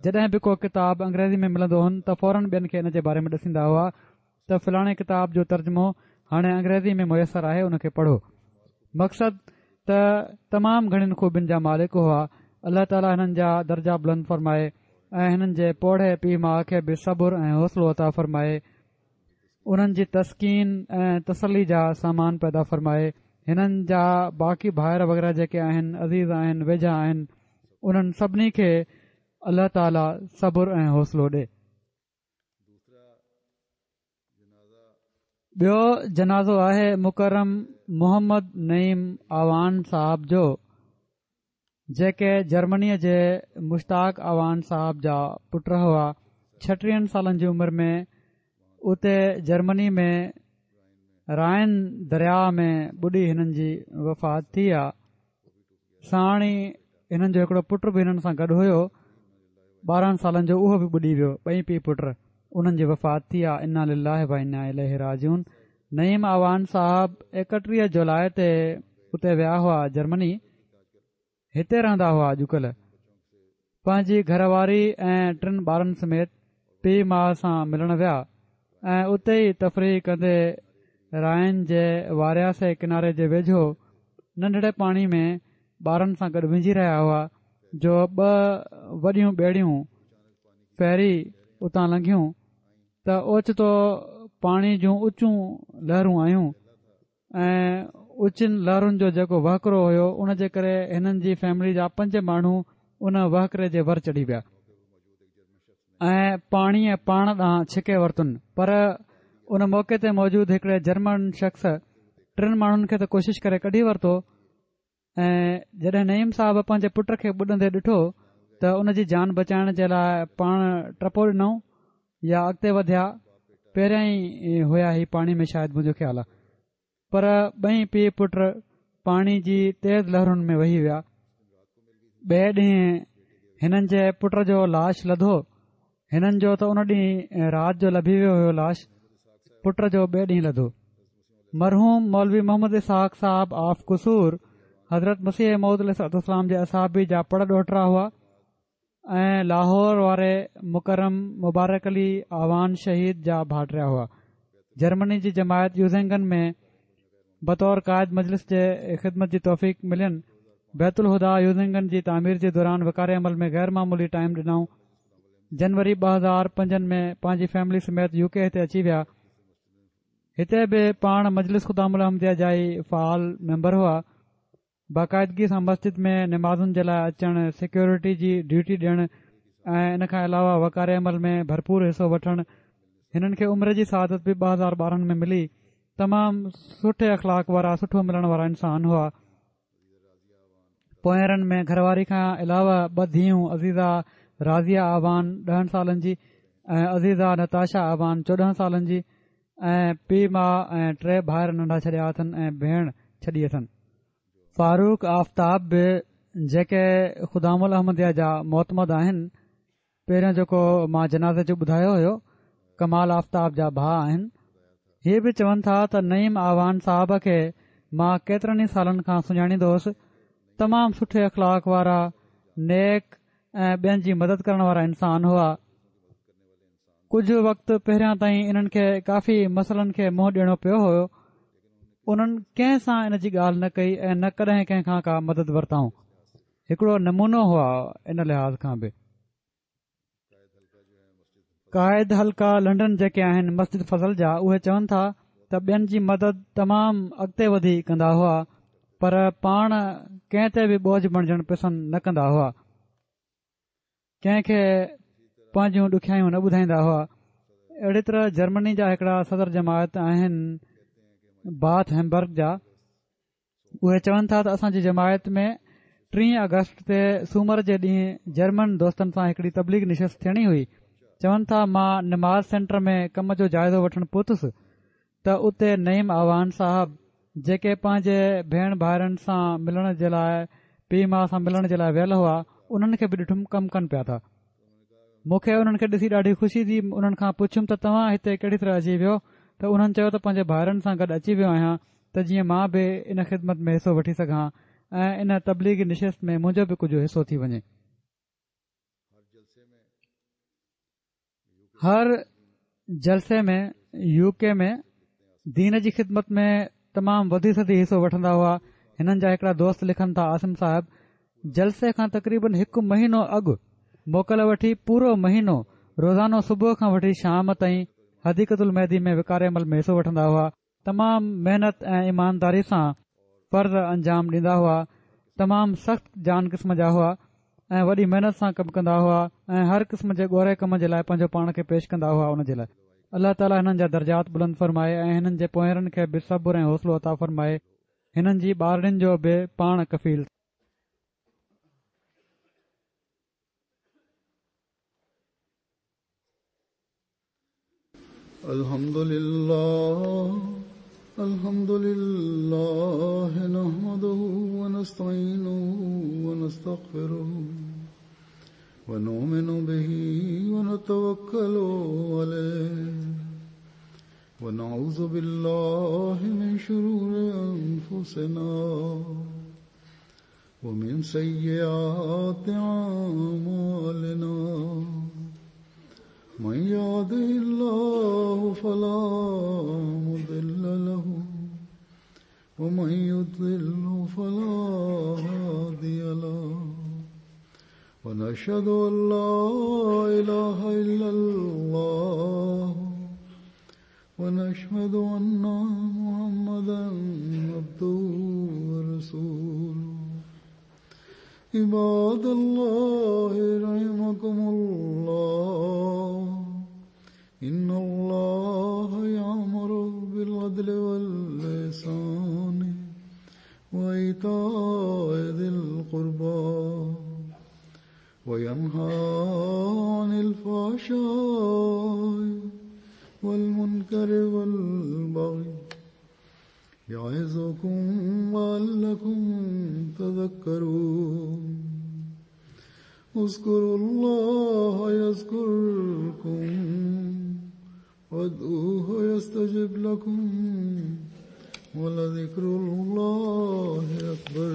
جڏهن به ڪو ڪتاب انگريزي ۾ ملندو هن ته فورن ٻين کي ان جي باري ۾ ڏسيندا هئا ته فلاڻي ڪتاب جو ترجمو هاڻي انگريزي ۾ ميسر آهي ان کي پڙهو. مقصد ته تمام گهڻين خوبين جا مالڪ هئا. الله تعاليٰ هنن جا درجا بلند فرمائي ۽ هنن جي پوڙهي پيء ماء کي به صبر ۽ حوصلو عطا فرمائي. انهن جي تسڪين ۽ تسلي جا سامان پيدا فرمائي. هنن جا باقي ڀائر وغيره جيڪي آهن، عزيز آهن، ويجها آهن، انهن سڀني کي الله تعالي صبر ۽ حوصلو ڏي. ٻيو جنازو آهي مڪرم محمد نعيم اعواڻ صاحب جو. جيڪي جرمنيء جي مشتاق اعواڻ صاحب جا پٽ هئا، ڇٽيهن سالن جي عمر ۾ اتي جرمني ۾ رائن درياء ۾ ٻڏي هنن جي وفات ٿي آ. ساڻ ئي هنن جو هڪڙو پٽ به هنن سان گڏ هيو 12 سالن جو اهو به ٻڏي ويو ٻئي پيء پٽ انهن جي وفات ٿي آ انا لله و انا اليه راجعون نعيم اعوان صاحب 31 جولاء تي اتي ويا هئا جرمني هتي رهندا هئا اڄڪلهه پنهنجي گهر واري ۽ ٽن ٻارن سميت پيء ماء سان ملڻ ويا ۽ اتي ئي تفريح ڪندي رائن جي وارياسي ڪناري جي ويجهو ننڍڙي پاڻي ۾ ٻارن سان گڏ وهنجي رهيا هئا جو ٻه وڏيون ٻيڙيون فيري اتان لنگهيون ته اوچتو پاڻي جون اچون لهرون آيون ۽ اچن لهرن جو جيڪو وهڪرو هيو ان جي ڪري هنن جي فيملي جا پنج ماڻهو ان وهڪري جي ور چڙهي ويا ۽ پاڻيء پاڻ ڏانهن ڇڪي ورتن پر ان موقعي تي موجود هڪڙي جرمن شخص ٽن ماڻهن کي ته ڪوشش ڪري ڪڍي ورتو ۽ جڏهن نعيم صاحب پنهنجي پٽ کي ٻڏندي ڏٺو ته ان جي جان بچائڻ جي لاء پاڻ ٽپو ڏنائون يا اڳتي وڌيا پهريان ئي هيا هي پاڻي ۾ شايد منهنجو خيال آ پر ٻئي پيء پٽ پاڻي جي تيز لهرن ۾ وهي ويا ٻئي ڏينهن هنن جي پٽ جو لاش لڌو هنن جو ته ان ڏينهن رات جو لڀي ويو هيو لاش پٽ جو ٻئي ڏينهن لڌو. مرحوم مولوي محمد اسحاق صاحب آف قصور حضرت مسيح موعود عليه الصلوة والسلام جي اصحابي جا پڙ ڏوهٽرا هئا ۽ لاهور واري مڪرم مبارڪ علي اعوان شهيد جا ڀائٽيا هئا. جرمني جي جماعت يوزنگن ۾ بطور قائد مجلس جي خدمت جي توفيق ملين. بيت الهديٰ يوزنگن جي تعمير جي دوران وقار عمل ۾ غير معمولي ٽائيم ڏنائون. جنوري 2005 ۾ پنهنجي فيملي سميت يو ڪي هتي اچي ويا. هتي به پاڻ مجلس خدام الاحمديه جا ئي فعال ميمبر هئا. باقاعدگي سان مسجد ۾ نمازن جي لاء اچڻ، سيڪيورٽي جي ڊيوٽي ڏيڻ ۽ ان کان علاوه وقار عمل ۾ ڀرپور حصو وٺڻ هنن کي عمري جي سعادت به 2012 ۾ ملي. تمام سٺي اخلاق وارا سٺو ملڻ وارا انسان هئا. پوئينرن ۾ گهر واري کان علاوه ٻه ڌيئون عزيزه راضيه اعوان ڏهن سالن جي ۽ عزيزه نتاشا اعوان 14 سالن جي ۽ پيء ماء ۽ ٽي ڀائر ننڍا ڇڏيا اٿن ۽ ڀيڻ ڇڏي اٿن. فاروق آفتاب به جيڪي خدام الاحمديه جا معتمد آهن، پهريون جيڪو مان جنازي جو ٻڌايو هيو، ڪمال آفتاب جا ڀاء آهن، هي به چون ٿا ته نعيم اعوان صاحب کي مان ڪيترن ئي سالن کان سڃاڻيندو هوس، تمام سٺي اخلاق وارا، نيڪ ۽ ٻين جي مدد ڪرڻ وارا انسان هئا. ڪجهه وقت پهريان تائين انهن کي ڪافي مسئلن کي منهن ڏيڻو پيو هيو انهن ڪنهن سان ان جي ڳالهه نه ڪئي ۽ نه ڪڏهن ڪنهن کان ڪا مدد ورتائون هڪڙو نمونو هئا ان لحاظ کان به قائد حلقه لنڊن جيڪي آهن مسجد فضل جا اهي چون ٿا ته ٻين جي مدد تمام اڳتي وڌي ڪندا هئا پر پاڻ ڪنهن تي به بوجه بڻجڻ پسند نه ڪندا هئا ڪنهن کي پنهنجون ڏکيائيون نه ٻڌائيندا هئا اهڙي طرح جرمني جا هڪڙا صدر جماعت آهن باٿ هيمبرگ جا اهي چون ٿا ته اسان جي جماعت ۾ 30 آگسٽ تي سومر جي ڏينهن جرمن دوستن سان هڪڙي تبليغ نشست ٿيڻي هئي چون ٿا مان نماز سينٽر ۾ ڪم جو جائزو وٺڻ پهتس ته اتي نعيم اعوان صاحب جيڪي پنهنجي ڀيڻ ڀائرن سان ملڻ جي لاء پيء ماء سان ملڻ جي لاء ويل هئا انهن کي به ڏٺم ڪم ڪن پيا ٿا مون کي انهن کي ڏسي ڏاڍي خوشي ٿي انهن کان پڇيم ته توهان هتي ڪهڙي طرح اچي ويو ته انهن چيو ته پنهنجي ڀائرن سان گڏ اچي ويو آهيان ته جيئن مان به ان خدمت ۾ حصو وٺي سگهان ۽ ان تبليغي نشست ۾ منهنجو به ڪجهه حصو ٿي وڃي. هر جلسي ۾ يو ڪي ۾ دين جي خدمت ۾ تمام وڌي چڙهي حصو وٺندا هئا هنن جا هڪڙا دوست لکن ٿا عاصم صاحب جلسي کان تقريبن هڪ مهينو اڳ موڪل وٺي پورو مهينو روزانو صبح کان وٺي شام تائين حديقت المهدي ۾ وقار عمل ۾ حصو وٺندا هئا تمام محنت ۽ ايمانداري سان فرض انجام ڏيندا هئا تمام سخت جان قسم جا هئا ۽ وڏي محنت سان ڪم ڪندا هئا ۽ هر قسم جي ڳوري ڪم جي لاء پنهنجو پاڻ کي پيش ڪندا هئا ان جي لاء الله تعالي هنن جا درجات بلند فرمائي ۽ هنن جي پوئرن کي به صبر ۽ حوصلو عطا فرمائي هنن جي ٻارڙين جو به پاڻ ڪفيل الحمد لله الحمد لله نحمده ونستعينه ونستغفره ونؤمن به ونتوكل عليه ونعوذ بالله من شرور أنفسنا ومن سيئات أعمالنا من يهده الله فلا مضل له ومن يضلل فلا هادي له ونشهد أن لا إله إلا الله ونشهد أن محمدا عبده ورسوله. عباد الله رحمكم الله إن الله يأمر بالعدل والإحسان وإيتاء ذي القربى وينهى عن الفحشاء والمنكر والبغي يعظكم لعلكم تذكرون. اذكروا الله يذكركم وادعوه يستجب لكم ولذكر الله أكبر.